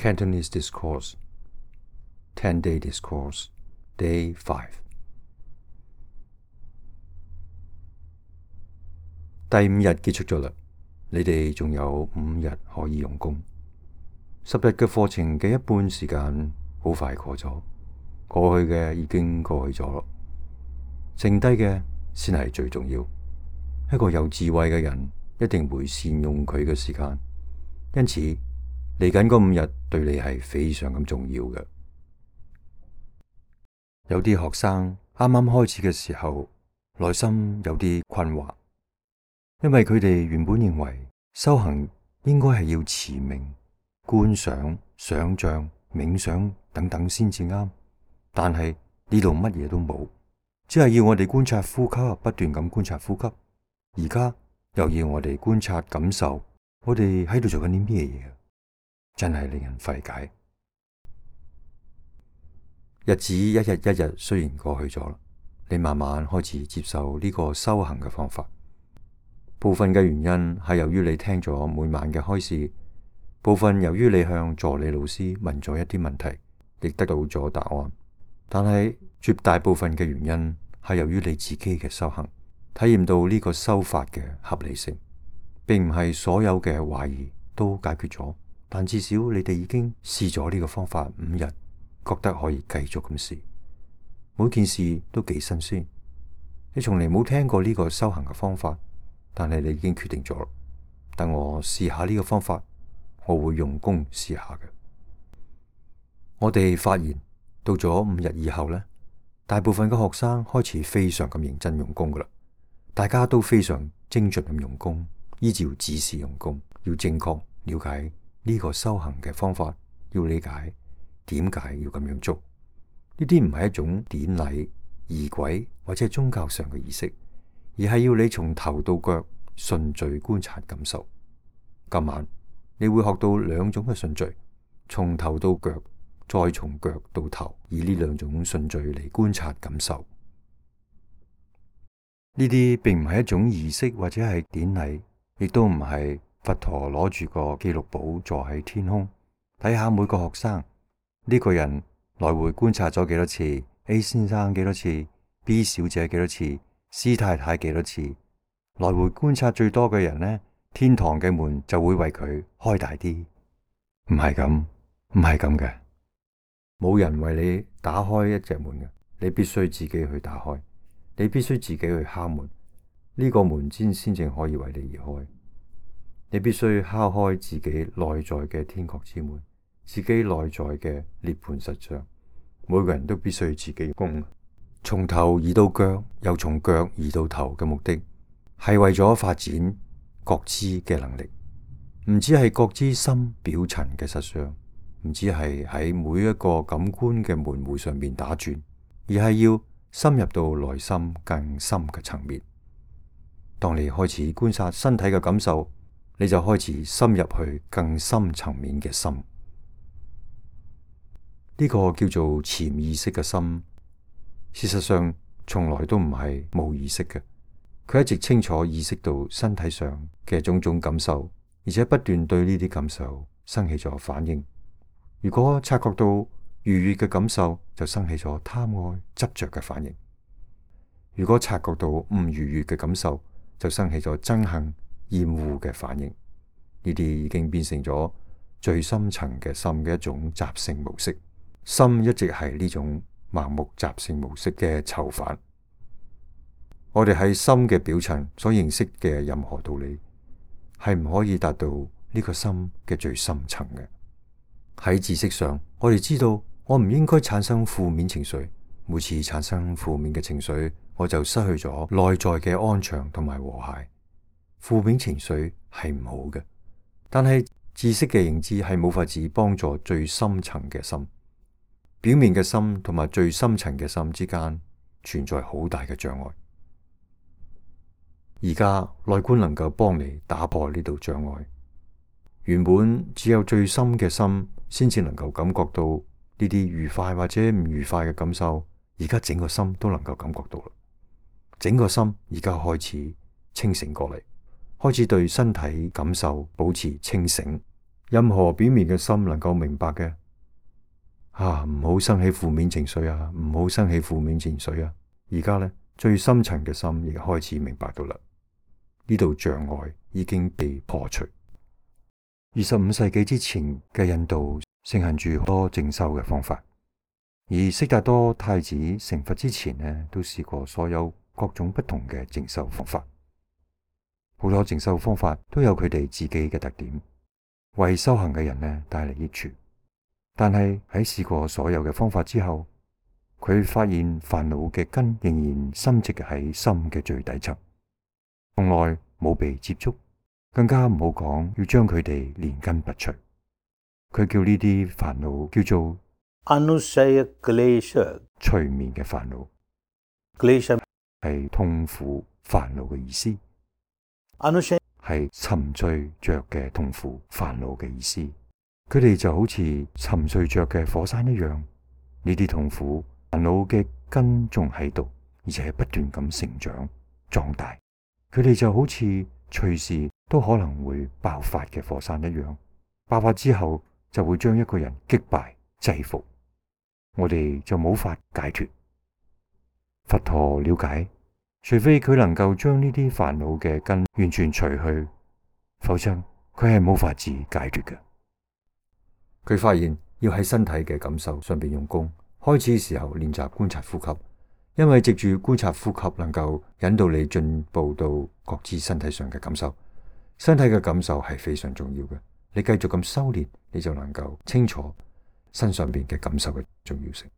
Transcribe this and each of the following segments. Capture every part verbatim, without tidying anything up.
Cantonese Discourse ten-day Discourse Day five。 第五日結束咗啦，你哋仲有五日可以用功。十日嘅課程嘅一半時間好快過咗，過去嘅已經過去咗咯，剩低嘅先係最重要。一個有智慧嘅人一定會善用佢嘅時間，因此嚟緊嗰五日對你係非常咁重要嘅。有啲學生啱啱開始嘅時候，內心有啲困惑，因為佢哋原本認為修行應該係要持名、觀想、想像、冥想等等先至啱，但係呢度乜嘢都冇，只係要我哋觀察呼吸，不斷咁觀察呼吸。而家又要我哋觀察感受，我哋喺度做緊啲咩嘢？真係令人費解。日子一日一日雖然過去咗，你慢慢開始接受呢個修行嘅方法。部分嘅原因係由於你聽咗每晚嘅開示，部分由於你向助理老師問咗一啲問題，亦得到咗答案。但係絕大部分嘅原因係由於你自己嘅修行，體驗到呢個修法嘅合理性，並唔係所有嘅懷疑都解決咗，但至少你哋已經試咗呢個方法五日，覺得可以繼續咁試。每件事都幾新鮮，你從嚟冇聽過呢個修行嘅方法，但係你已經決定咗，等我試下呢個方法，我會用功試下嘅。我哋發現到咗五日以後呢，大部分嘅學生開始非常咁認真用功噶啦。大家都非常精準咁用功，依照指示用功，要正確了解呢個修行嘅方法，要理解點解要咁樣做。呢啲唔係一種典禮、儀軌或者係宗教上嘅儀式，而係要你從頭到腳順序觀察感受。今晚你會學到兩種嘅順序，從頭到腳，再從腳到頭，以呢兩種順序嚟觀察感受。呢啲並唔係一種儀式或者係典禮，亦都唔係佛陀攞住個記錄簿坐喺天空睇下每個學生呢個人來回觀察咗幾多次， A 先生幾多次， B 小姐幾多次， C 太太幾多次。來回觀察最多嘅人呢，天堂嘅門就會為佢開大啲。唔係咁，唔係咁嘅，冇人為你打開一隻門嘅，你必須自己去打開。你必須自己去敲門，呢個門先先正可以為你而開。你必須敲開自己內在嘅天國之門，自己內在嘅涅槃實相。每個人都必須自己攻，從頭移到腳，又從腳移到頭嘅目的，係為咗發展覺知嘅能力。唔只係覺知心表層嘅實相，唔只係喺每一個感官嘅門戶上面打轉，而係要深入到內心更深嘅層面。當你開始觀察身體嘅感受，你就開始深入去更深層面嘅心。呢個叫做潛意識嘅心，事實上從來都唔係冇意識嘅。佢一直清楚意識到身體上嘅種種感受，而且不斷對呢啲感受生起咗反應。如果察覺到愉悅嘅感受，就生起咗貪愛執着嘅反應；如果察覺到唔愉悅嘅感受，就生起咗憎恨厭惡嘅反應。呢啲已經變成咗最深層嘅心嘅一種習性模式。心一直係呢種盲目習性模式嘅囚犯。我哋喺心嘅表層所認識嘅任何道理，係唔可以達到呢個心嘅最深層嘅。喺知識上，我哋知道我唔應該產生負面情緒，每次產生負面嘅情緒，我就失去咗內在嘅安詳同埋和諧。負面情緒係唔好嘅，但係知識嘅認知係冇法子幫助最深層嘅心。表面嘅心同埋最深層嘅心之間存在好大嘅障礙。而家內觀能夠幫你打破呢道障礙。原本只有最深嘅心先至能夠感覺到呢啲愉快或者唔愉快嘅感受，而家整個心都能夠感覺到啦。整個心而家開始清醒過嚟，開始對身體感受保持清醒，任何表面嘅心能夠明白嘅，啊，唔好生起負面情緒啊，唔好生起負面情緒啊。而家呢，最深層嘅心亦開始明白到啦，呢度障礙已經被破除。二十五世紀之前嘅印度盛行住好多靜修嘅方法，而悉達多太子成佛之前呢，都試過所有各種不同嘅靜修方法。好多靜修方法都有佢哋自己嘅特點，為修行嘅人呢帶嚟益處。但係喺試過所有嘅方法之後，佢發現煩惱嘅根仍然深植喺心嘅最底層，從來冇被接觸，更加唔好講要將佢哋連根拔除。佢叫呢啲煩惱叫做 Anusaya Klesha， 隨眠嘅煩惱。Klesha 係痛苦煩惱嘅意思。Anusaya 係沉醉着嘅痛苦煩惱嘅意思。佢哋就好似沉睡着嘅火山一樣，呢啲痛苦煩惱嘅根仲喺度，而且不斷咁成長壯大。佢哋就好似隨時都可能會爆發嘅火山一樣，爆發之後就會將一個人擊敗制服，我哋就冇法解脫。佛陀了解，除非佢能夠將呢啲煩惱嘅根完全除去，否則佢係冇法子解脫嘅。佢發現要喺身體嘅感受上邊用功，開始嘅時候練習觀察呼吸，因為藉住觀察呼吸能夠引導你進步到覺知身體上嘅感受。身體嘅感受係非常重要嘅，你繼續咁修煉，你就能夠清楚身上邊嘅感受嘅重要性。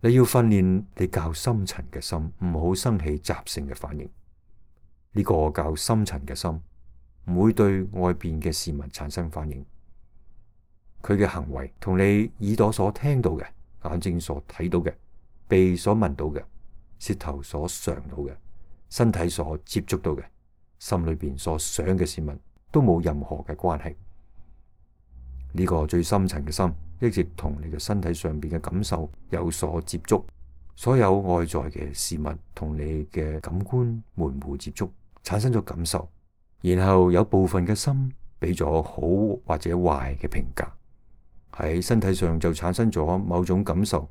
你要訓練你較深層嘅心，唔好生起習性嘅反應。呢個較深層嘅心唔會對外邊嘅事物產生反應。佢嘅行為同你耳朵所聽到嘅、眼睛所睇到嘅、鼻所聞到嘅、舌頭所嘗到嘅、身體所接觸到嘅、心裏邊所想嘅事物都冇任何嘅關係。呢個最深層嘅心一直同你嘅身體上邊嘅感受有所接觸，所有外在嘅事物同你嘅感官門戶接觸，產生咗感受，然後有部分嘅心俾咗好或者壞嘅評價，喺身體上就產生咗某種感受，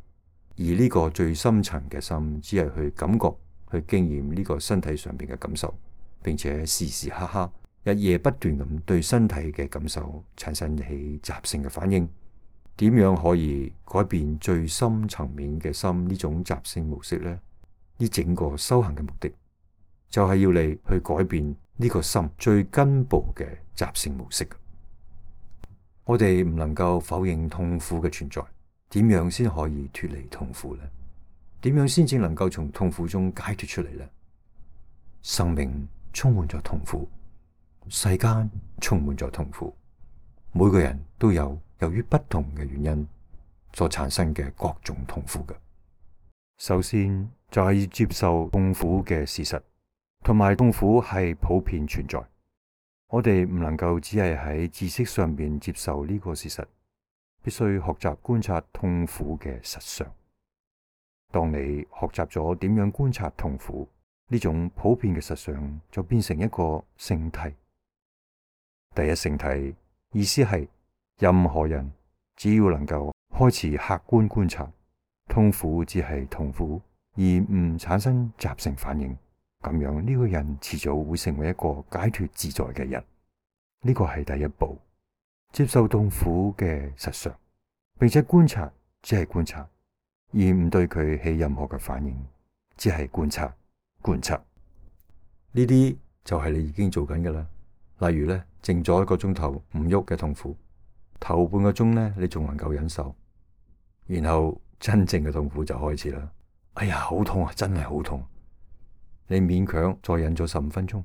而呢個最深層嘅心只係去感覺、去經驗呢個身體上邊嘅感受，並且時時刻刻、日夜不斷咁對身體嘅感受產生起習性嘅反應。點樣可以改變最深層面嘅心呢種習性模式呢？呢整個修行嘅目的就係要你去改變呢個心最根部嘅習性模式。我哋唔能夠否認痛苦嘅存在，點樣先可以脫離痛苦呢？點樣先至能夠從痛苦中解脫出嚟呢？生命充滿咗痛苦，世間充滿咗痛苦，每個人都有由於不同嘅原因所產生嘅各種痛苦嘅。首先就係要接受痛苦嘅事實，同埋痛苦係普遍存在。我哋唔能夠只係喺知識上面接受呢個事實，必須學習觀察痛苦嘅實相。當你學習咗點樣觀察痛苦，呢種普遍嘅實相就變成一個聖諦。第一聖諦意思係任何人只要能夠開始客觀觀察痛苦，只係痛苦，而唔產生習性反應，咁樣呢個人遲早會成為一個解脫自在嘅人。呢個係第一步，接受痛苦嘅實相，並且觀察只係觀察，而唔對佢起任何嘅反應，只係觀察觀察。呢啲就係你已經做緊㗎啦。例如咧，靜咗一個鐘頭唔喐嘅痛苦，頭半個鐘咧你仲能夠忍受，然後真正嘅痛苦就開始啦。哎呀，好痛啊，真係好痛！你勉強再忍咗十五分鐘，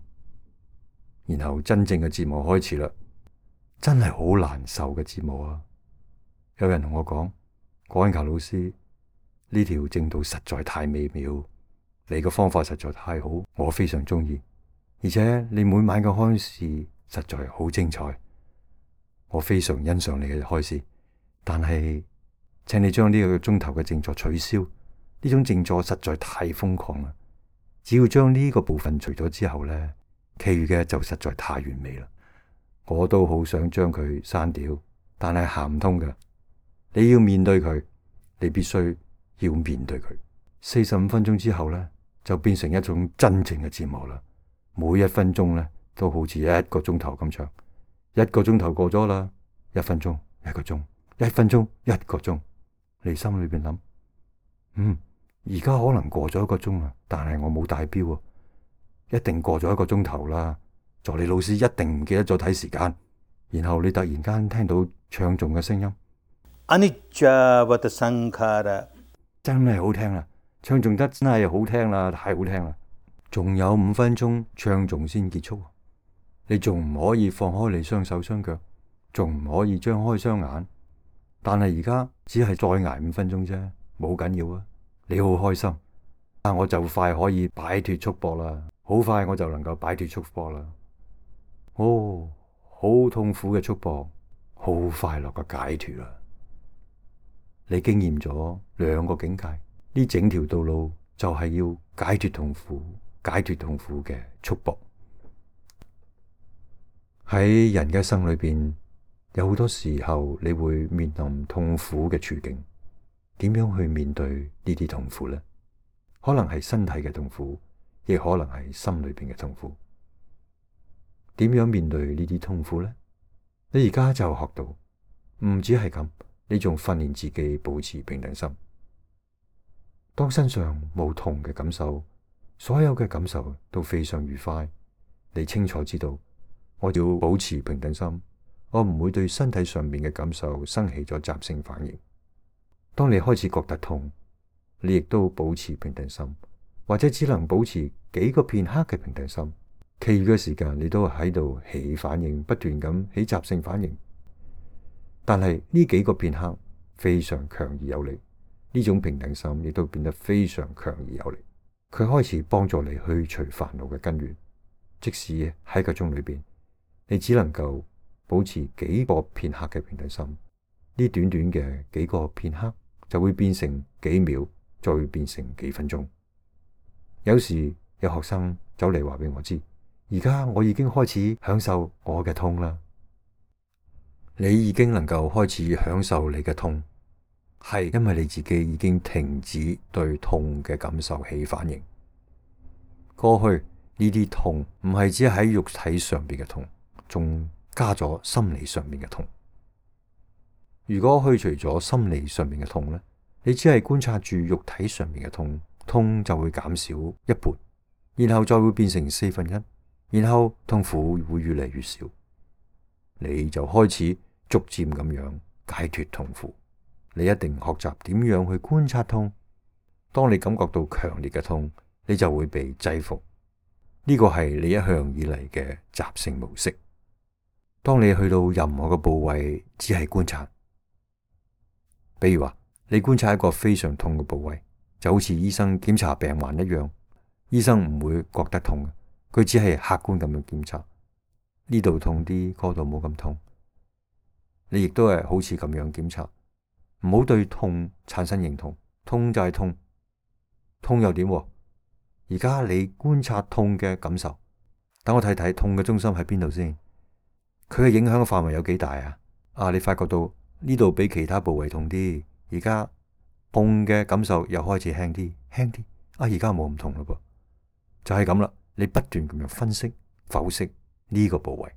然後真正嘅折磨開始啦，真係好難受嘅折磨啊！有人同我講，郭恩求老師，呢條正道實在太美妙，你嘅方法實在太好，我非常中意。而且你每晚嘅開示實在好精彩，我非常欣賞你嘅開示。但係，請你將呢個鐘頭嘅靜坐取消，呢種靜坐實在太瘋狂啦。只要將呢個部分除咗之後呢，其餘嘅就實在太完美啦。我都好想將佢刪掉，但係行唔通㗎。你要面對佢，你必須要面對佢。四十五分鐘之後呢，就變成一種真正嘅折磨啦。每一分鐘呢，都好似一個鐘頭咁長。一個鐘頭過咗啦，一分鐘一個鐘，一分鐘一個鐘。你心裏邊諗，嗯，而家可能過咗一個鐘啦，但係我冇帶錶啊，一定過咗一個鐘頭啦。助理老師一定唔記得咗睇時間。然後你突然間聽到唱誦嘅聲音， Anicca-vata sankhara， 真係好聽啦，唱誦得真係好聽啦，太好聽啦。仲有五分鐘唱誦先結束，你仲唔可以放開你雙手雙腳，仲唔可以張開雙眼。但係而家只係再捱五分鐘啫，冇緊要啊。你好開心，啊，我就快可以擺脫束縛啦，好快我就能夠擺脫束縛啦。哦，好痛苦嘅束縛，好快樂嘅解脫啦。你經驗咗兩個境界，呢整條道路就係要解脫痛苦，解脫痛苦嘅束縛。喺人嘅一生裏邊，有好多時候你會面臨痛苦嘅處境，點樣去面對呢啲痛苦呢？可能係身體嘅痛苦，亦可能係心裏邊嘅痛苦。點樣面對呢啲痛苦呢？你而家就學到，唔止係咁，你仲訓練自己保持平等心。當身上冇痛嘅感受，所有嘅感受都非常愉快，你清楚知道，我要保持平等心，我唔會對身體上面嘅感受生起咗習性反應。當你開始覺得痛，你亦都保持平等心，或者只能保持幾個片刻嘅平等心，其餘嘅時間你都喺度起反應，不斷咁起習性反應。但係呢幾個片刻非常強而有力，呢種平等心亦都變得非常強而有力。佢開始幫助你去除煩惱嘅根源。即使喺個鐘裏邊，你只能夠保持幾個片刻嘅平等心，呢短短嘅幾個片刻就會變成幾秒，再會變成幾分鐘。有時有學生走嚟話俾我知，而家我已經開始享受我嘅痛啦。你已經能夠開始享受你嘅痛，係因為你自己已經停止對痛嘅感受起反應。過去呢啲痛唔係只喺肉體上邊嘅痛，仲加咗心理上面嘅痛。如果去除咗心理上面嘅痛呢，你只係觀察住肉體上面嘅痛，痛就會減少一半，然後再會變成四分一，然後痛苦會越嚟越少，你就開始逐漸咁樣解脫痛苦。你一定學習點樣去觀察痛。當你感覺到強烈嘅痛，你就會被制服。呢個係你一向以嚟嘅習性模式。當你去到任何嘅部位，只係觀察。比如話，你觀察一個非常痛嘅部位，就好似醫生檢查病患一樣。醫生唔會覺得痛，佢只係客觀咁樣檢查。呢度痛啲，嗰度冇咁痛。你亦都係好似咁樣檢查，唔好對痛產生認同。痛就係痛，痛又點？而家你觀察痛嘅感受，等我睇睇痛嘅中心喺邊度先。佢嘅影響嘅範圍有幾大啊？啊，你發覺到呢度比其他部位痛啲，而家痛嘅感受又開始輕啲，輕啲。啊，而家冇咁痛嘞噃，就係咁啦。你不斷咁樣分析、剖析呢個部位，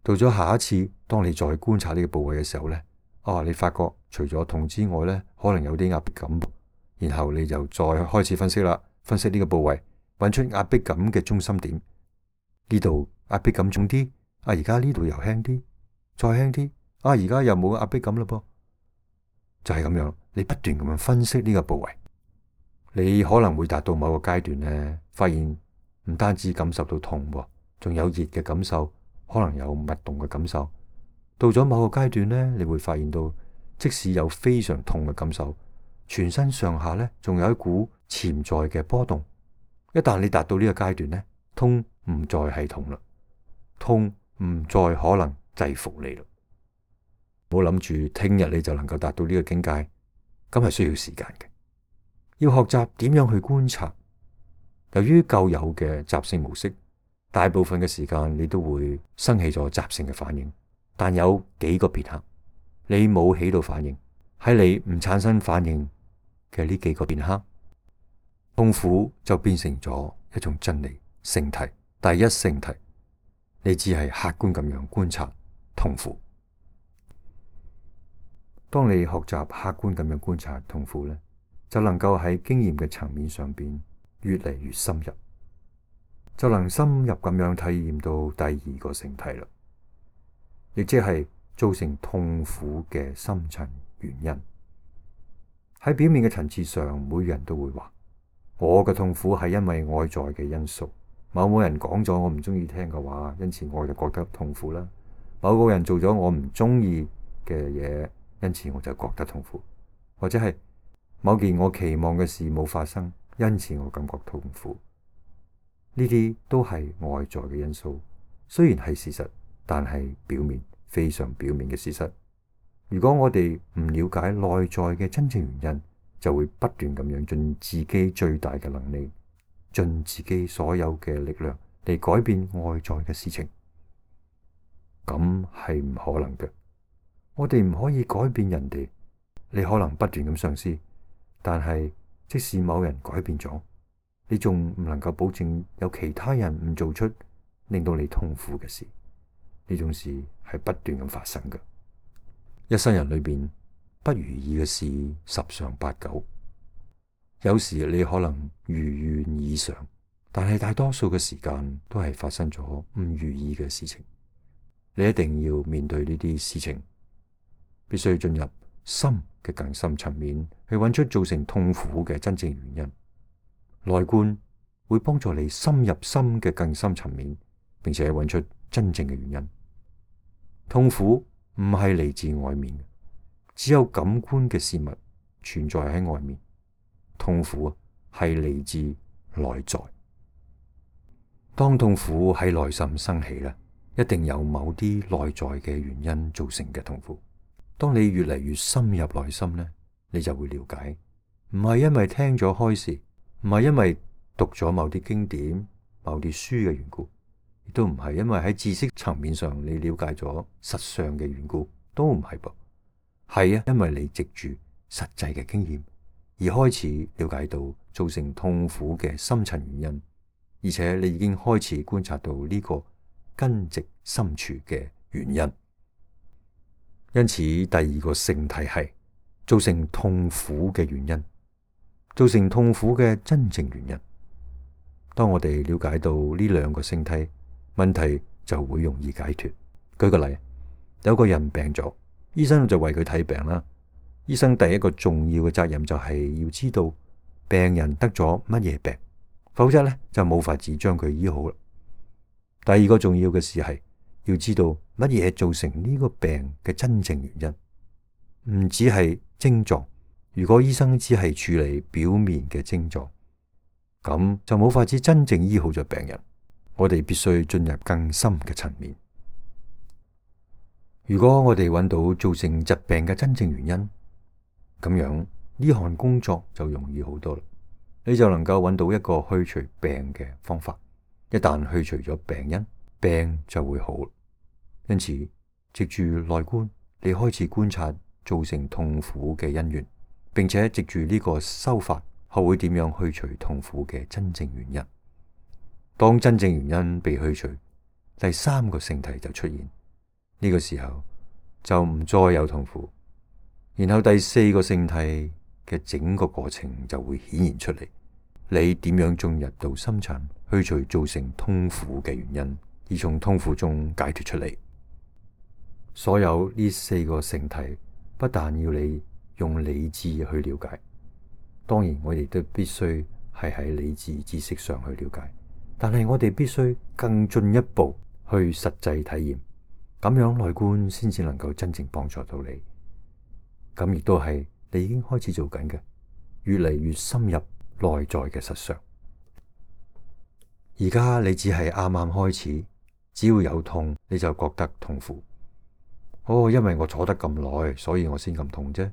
到咗下一次，當你再觀察呢個部位嘅時候呢，啊，你發覺除咗痛之外呢，可能有啲壓迫感。然後你就再開始分析啦，分析呢個部位，揾出壓迫感嘅中心點。呢度壓迫感重啲，啊，而家呢度又輕啲，再輕啲，啊，而家又冇壓迫感嘞噃。就係咁樣，你不斷咁樣分析呢個部位，你可能會達到某個階段呢，發現唔單止感受到痛，仲有熱嘅感受，可能有脈動嘅感受。到咗某個階段呢，你會發現到，即使有非常痛嘅感受，全身上下呢，仲有一股潛在嘅波動。一旦你達到呢個階段呢，痛唔再係痛啦，痛唔再可能制服你啦。唔好諗住聽日你就能夠達到呢個境界，咁係需要時間嘅。要學習點樣去觀察。由於舊有嘅習性模式，大部分嘅時間你都會生起咗習性嘅反應。但有幾個片刻，你冇起到反應，喺你唔產生反應嘅呢幾個片刻，痛苦就變成咗一種真理聖體，第一聖體。你只係客觀咁樣觀察痛苦。當你學習客觀咁樣觀察痛苦呢，就能夠喺經驗嘅層面上邊越嚟越深入，就能深入咁樣體驗到第二個聖體啦，亦即係造成痛苦嘅深層原因。喺表面嘅層次上，每人都會話我嘅痛苦係因為外在嘅因素。某某人講咗我唔中意聽嘅話，因此我就覺得痛苦啦。某個人做咗我唔中意嘅嘢，因此我就覺得痛苦。或者係某件我期望嘅事冇發生，因此我感覺痛苦。呢啲都係外在嘅因素，雖然係事實，但係表面，非常表面嘅事實。如果我哋唔了解內在嘅真正原因，就會不斷咁樣盡自己最大嘅能力，盡自己所有嘅力量嚟改變外在嘅事情，咁係唔可能嘅。我哋唔可以改變人哋，你可能不斷咁嘗試，但係即使某人改變咗，你仲唔能夠保證有其他人唔做出令到你痛苦嘅事。呢種事係不斷咁發生嘅。一生人裏邊不如意嘅事十常八九。有時你可能如願以償，但係大多數嘅時間都係發生咗唔如意嘅事情。你一定要面對呢啲事情，必須進入心嘅更深層面去揾出造成痛苦嘅真正原因。內觀會幫助你深入心嘅更深層面，並且揾出真正嘅原因。痛苦唔係嚟自外面嘅，只有感官嘅事物存在喺外面。痛苦係嚟自內在。當痛苦喺內心生起咧，一定有某啲內在嘅原因造成嘅痛苦。當你越嚟越深入內心咧，你就會了解，唔係因為聽咗開示，唔係因為讀咗某啲經典、某啲書嘅緣故，亦都唔係因為喺知識層面上你了解咗實相嘅緣故，都唔係噃。係啊，因為你藉住實際嘅經驗而開始了解到造成痛苦嘅深層原因，而且你已經開始觀察到呢個根植深處嘅原因。因此，第二個聖體係造成痛苦嘅原因，造成痛苦嘅真正原因。當我哋了解到呢兩個聖體，問題就會容易解脫。舉個例，有個人病咗，醫生就為佢睇病啦。醫生第一個重要嘅責任就係要知道病人得咗乜嘢病，否則咧就冇法子將佢醫好啦。第二個重要嘅事係要知道乜嘢造成呢個病嘅真正原因，唔只係症狀。如果醫生只係處理表面嘅症狀，咁就冇法子真正醫好咗病人。我哋必須進入更深嘅層面。如果我哋揾到造成疾病嘅真正原因，咁樣呢項工作就容易好多啦。你就能夠揾到一個去除病嘅方法。一旦去除咗病因，病就會好。因此，藉住內觀，你開始觀察造成痛苦嘅因緣，並且藉住呢個修法，學會點樣去除痛苦嘅真正原因。當真正原因被去除，第三個聖體就出現。呢個時候就唔再有痛苦。然後第四個聖體嘅整個過程就會顯現出嚟，你點樣進入到深層，去除造成痛苦嘅原因，而從痛苦中解脫出嚟。所有呢四個聖體不但要你用理智去了解，當然我哋都必須係喺理智知識上去了解，但係我哋必須更進一步去實際體驗，咁樣內觀先至能夠真正幫助到你。咁亦都係你已經開始做緊嘅，越嚟越深入內在嘅實相。而家你只係啱啱開始，只要有痛你就覺得痛苦。哦，因為我坐得咁耐，所以我先咁痛啫。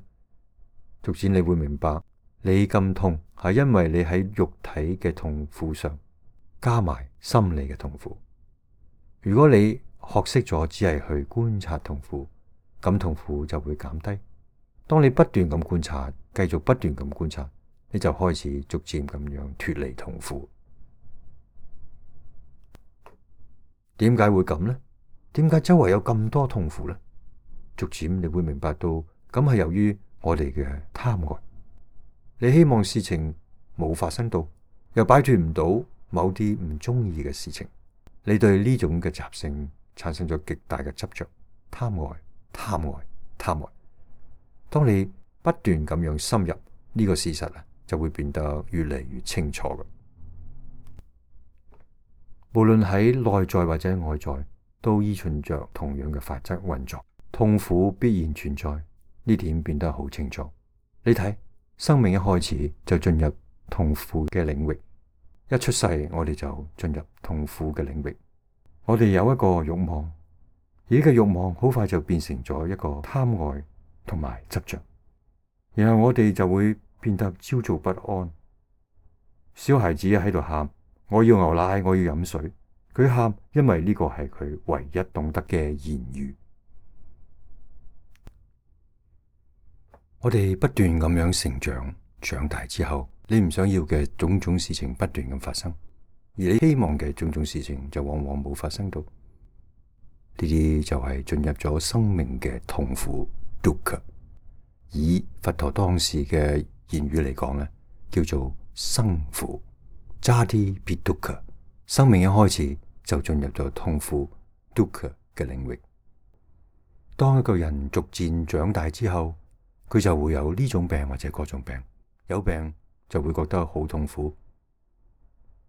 逐漸你會明白，你咁痛係因為你喺肉體嘅痛苦上加埋心理嘅痛苦。如果你學識咗只係去觀察痛苦，咁痛苦就會減低。當你不斷咁觀察，繼續不斷咁觀察，你就開始逐漸咁樣脫離痛苦。點解會咁呢？點解周圍有咁多痛苦呢？逐漸你會明白到，咁係由於我哋嘅貪愛。你希望事情冇發生到，又擺脫唔到某啲唔中意嘅事情，你對呢種嘅習性產生咗極大嘅執着，貪愛、貪愛、貪愛。當你不斷咁樣深入呢個事實啊，就會變得越嚟越清楚嘅。無論喺內在或者外在，都依循着同樣嘅法則運作。痛苦必然存在，呢點變得好清楚。你睇，生命一開始就進入痛苦嘅領域，一出世我哋就進入痛苦嘅領域。我哋有一個慾望，而呢個慾望好快就變成咗一個貪愛同埋執着，然後我哋就會變得焦躁不安。小孩子喺度喊，我要牛奶，我要飲水。佢喊，因為呢個係佢唯一懂得嘅言語。我哋不斷咁樣成長，長大之後，你唔想要嘅種種事情不斷咁發生，而你希望嘅種種事情就往往冇發生到。呢啲就係進入咗生命嘅痛苦 dukkha。以佛陀當時嘅言語嚟講咧，叫做生苦 jati-dukkha。生命一開始就進入咗痛苦 dukkha 嘅領域。當一個人逐漸長大之後，佢就會有呢種病或者嗰種病。有病就會覺得好痛苦，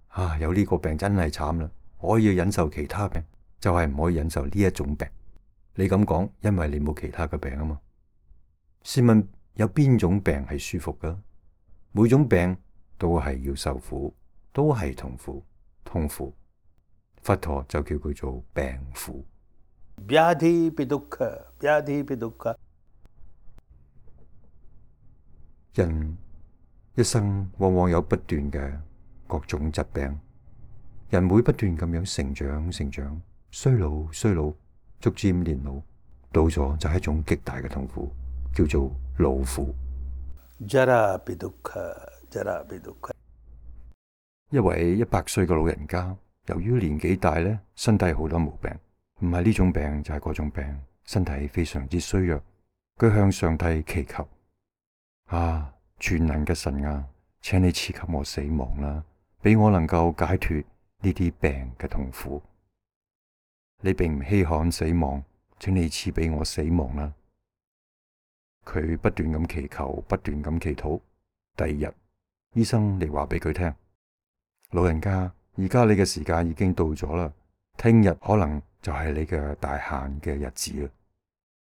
啊！有呢個病真係慘啦，我可以忍受其他病，就係唔可以忍受呢一種病。你咁講，因為你冇其他嘅病啊嘛。試問有邊種病係舒服噶？每種病都係要受苦，都係痛苦，痛苦。佛陀就叫佢做病苦。Vyadhi-dukkha, Vyadhi-dukkha。人一生往往有不斷嘅各種疾病，人會不斷咁樣成長、成長、衰老、衰老，逐漸年老，到咗就係一種極大嘅痛苦，叫做老苦。Jara-dukkha, Jara-dukkha。一位一百歲嘅老人家，由於年紀大咧，身體好多毛病，唔係呢種病就係嗰種病，身體非常之衰弱。佢向上帝祈求。啊！全能嘅神啊，請你賜給我死亡啦，俾我能夠解脫呢啲病嘅痛苦。你並唔稀罕死亡，請你賜俾我死亡啦。佢不斷咁祈求，不斷咁祈禱。第二日，醫生嚟話俾佢聽，老人家，而家你嘅時間已經到咗啦，聽日可能就係你嘅大限嘅日子啦。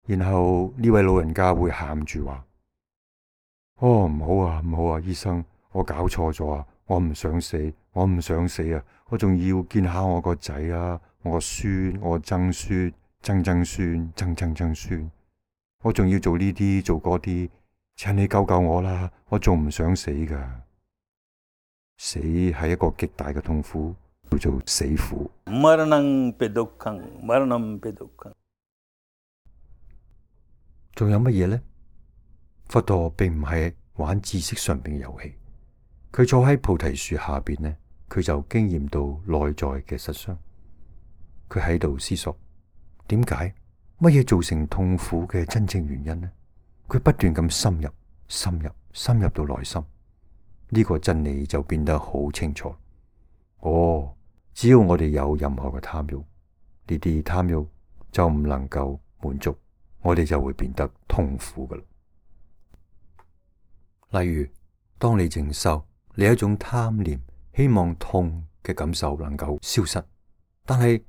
然後呢位老人家會喊住話：哦，唔好啊，唔好啊，醫生，我搞錯咗啊，我唔想死，我唔想死啊，我仲要見下我個仔啊，我個孫，我曾孫，曾曾孫，曾曾曾孫，我仲要做呢啲做嗰啲，請你救救我啦，我仲唔想死噶。死係一個極大嘅痛苦，叫做死苦。Maranam-pi-dukkhaṃ, Maranam-pi-dukkhaṃ。仲有乜嘢呢？佛陀並唔係玩知識上邊嘅遊戲，佢坐喺菩提樹下邊呢，佢就經驗到內在嘅實相。佢喺度思索，點解乜嘢造成痛苦嘅真正原因呢？佢不斷咁深入、深入、深入到內心，呢個真理就變得好清楚。哦，只要我哋有任何嘅貪欲，呢啲貪欲就唔能夠滿足，我哋就會變得痛苦噶啦。例如，當你靜修，你有一種貪念，希望痛嘅感受能夠消失，但係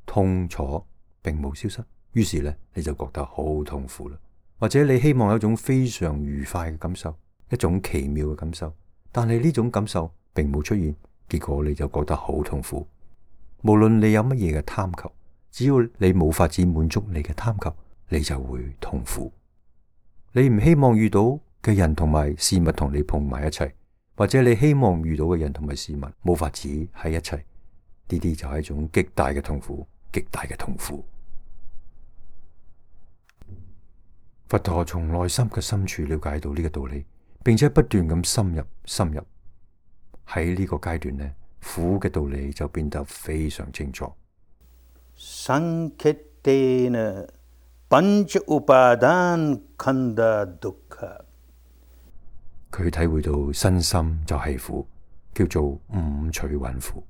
痛楚並冇消失，於是咧你就覺得好痛苦啦。或者你希望有一種非常愉快嘅感受，一種奇妙嘅感受，但係呢種感受並冇出現，結果你就覺得好痛苦。無論你有乜嘢嘅貪求，只要你冇法子滿足你嘅貪求，你就會痛苦。你唔希望遇到嘅人同埋事物同你碰埋一齊，或者你希望遇到嘅人同埋事物冇法子喺一齊，呢啲就係一種極大嘅痛苦，極大嘅痛苦。佛陀從內心嘅深處了解到呢個道理，並且不斷咁深入深入。喺呢個階段呢，苦嘅道理就變得非常清楚。Sanketena pancha upadan khanda dukkha。佢體會到身心就係苦，叫做五趣蘊苦。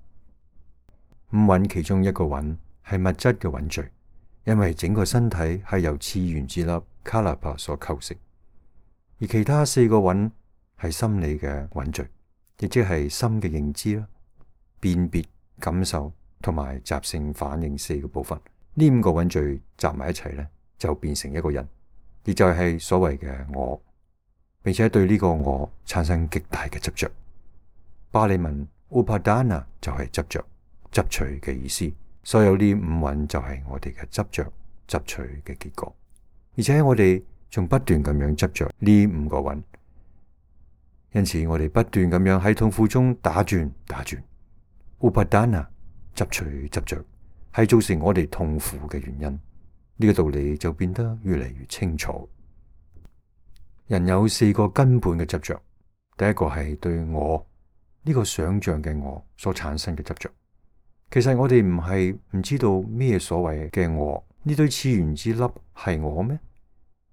五蘊其中一個蘊係物質嘅蘊聚，因為整個身體係由次原子粒卡納帕所構成，而其他四個蘊係心理嘅蘊聚，亦即係心嘅認知啦、辨別、感受同埋習性反應四個部分。呢五個蘊聚集埋一齊呢，就變成一個人，亦就係所謂嘅我，並且對呢個我產生極大嘅執着。巴利文 Upadana 就係執着、執取嘅意思。所有呢五蘊就係我哋嘅執着、執取嘅結果，而且我哋仲不斷咁樣執着呢五個蘊，因此我哋不斷咁樣喺痛苦中打轉打轉。Upadana 執取執着係造成我哋痛苦嘅原因，呢個道理就變得越嚟越清楚。人有四個根本嘅執着，第一個係對我呢個想象嘅我所產生嘅執着。其實我哋唔係唔知道咩所謂嘅我，呢堆次原子粒係我咩？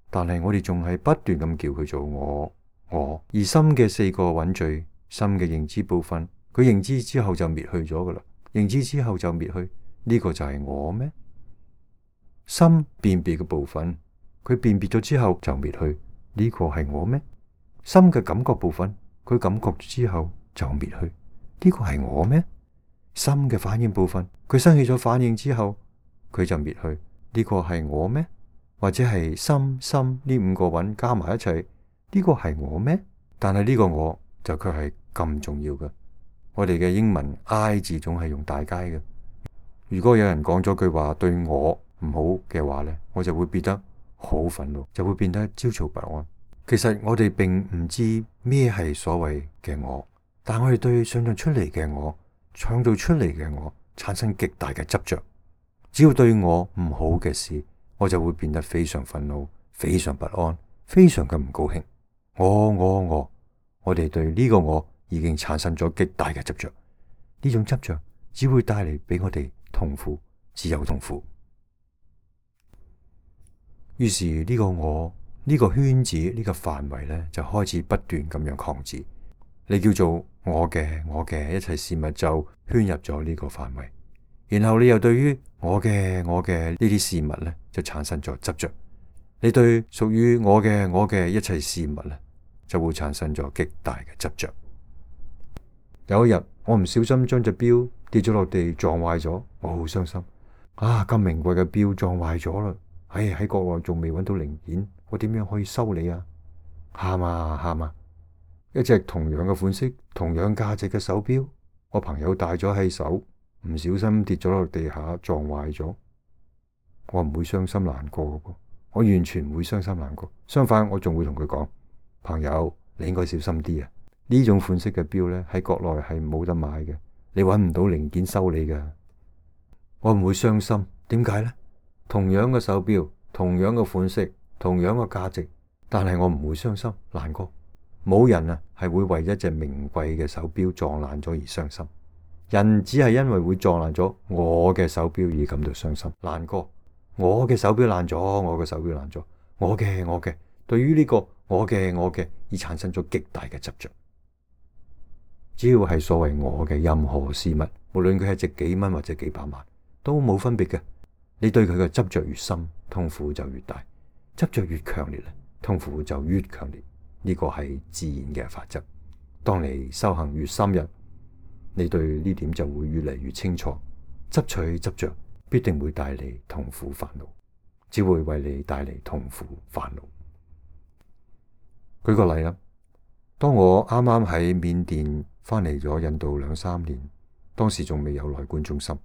但係我哋仲係不斷咁叫佢做我我。而心嘅四個蘊聚，心嘅認知部分，佢認知之後就滅去咗噶啦，認知之後就滅去，呢個就係我咩？心辨別嘅部分，佢辨別咗之後就滅去，呢個係我咩？心嘅感覺部分，佢感覺之後就滅去，呢個係我咩？心嘅反應部分，佢生起咗反應之後，佢就滅去，呢個係我咩？或者係心心呢五個蘊加埋一齊，呢個係我咩？但係呢個我就卻係咁重要嘅。我哋嘅英文 I 字總係用大階嘅。如果有人講咗句話對我唔好嘅話呢，我就會變得好憤怒，就會變得焦躁不安。其實我哋並唔知咩係所謂嘅我，但我哋對想象出嚟嘅我、創造出嚟嘅我產生極大嘅執着。只要對我唔好嘅事，我就會變得非常憤怒、非常不安、非常嘅唔高興。我我我，我哋對呢個我已經產生咗極大嘅執着。呢種執着只會帶嚟俾我哋痛苦，只有痛苦。於是呢個我呢個圈子呢個範圍呢，就開始不斷咁樣擴展。你叫做我嘅我嘅一切事物就圈入咗呢個範圍，然後你又對於我嘅我嘅呢啲事物呢，就產生咗執着。你對屬於我嘅我嘅一切事物呢，就會產生咗極大嘅執着。有一日我唔小心將隻錶跌咗落地撞壞咗，我好傷心啊！咁名貴嘅錶撞壞咗啦，唉，喺國內仲未揾到零件，我點樣可以修理啊？喊啊喊啊！一隻同樣嘅款式、同樣價值嘅手錶，我朋友戴咗喺手，唔小心跌咗落地下撞壞咗，我唔會傷心難過嘅，我完全唔會傷心難過。相反，我仲會同佢講：朋友，你應該小心啲啊！呢種款式嘅錶咧，喺國內係冇得買嘅，你揾唔到零件修理嘅。我唔會傷心，點解呢？同樣嘅手錶，同樣嘅款式，同樣嘅價值，但係我唔會傷心難過。冇人啊係會為一隻名貴嘅手錶撞爛咗而傷心，人只係因為會撞爛咗我嘅手錶而感到傷心難過。我嘅手錶爛咗，我嘅手錶爛咗，我嘅我嘅，對於呢個我嘅我嘅而產生咗極大嘅執着。只要係所謂我嘅任何事物，無論佢係值幾蚊或者幾百萬，都冇分別嘅。你對佢嘅執着越深，痛苦就越大；執着越強烈咧，痛苦就越強烈。呢個係自然嘅法則。當你修行越深入，你對呢點就會越嚟越清楚。執取執着必定會帶嚟痛苦煩惱，只會為你帶嚟痛苦煩惱。舉個例啦，當我啱啱喺緬甸翻嚟咗印度兩三年，當時仲未有內觀中心，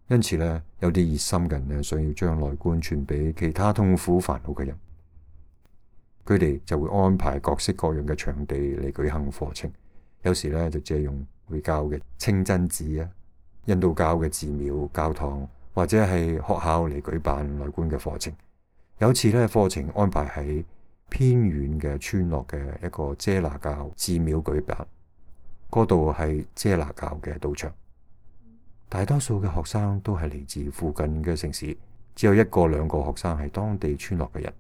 因此呢，有啲熱心人呢，想要將內觀傳俾其他痛苦煩惱嘅人。佢哋就會安排各式各樣嘅場地嚟舉行課程，有時咧就借用回教嘅清真寺啊、印度教嘅寺廟、教堂，或者係學校嚟舉辦內觀嘅課程。有次呢，課程安排喺偏遠嘅村落嘅一個遮那教寺廟舉辦，嗰度係遮那教嘅道場。大多數嘅學生都係嚟自附近嘅城市，只有一個兩個學生係當地村落嘅人。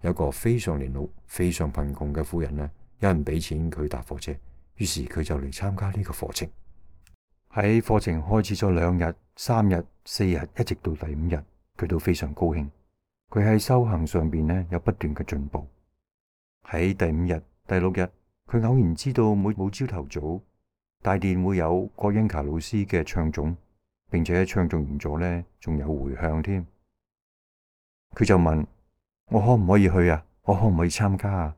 有個非常年老、非常貧窮嘅婦人呢，有人俾錢佢搭火車，於是佢就嚟參加呢個課程。喺課程開始咗兩日、三日、四日，一直到第五日，佢都非常高興。佢喺修行上邊呢有不斷嘅進步。喺第五日、第六日，佢偶然知道每每朝頭早大殿會有郭恩卡老師嘅唱誦，並且唱誦完咗呢，仲有回向添。佢就問：我可唔可以去啊？我可唔可以參加啊？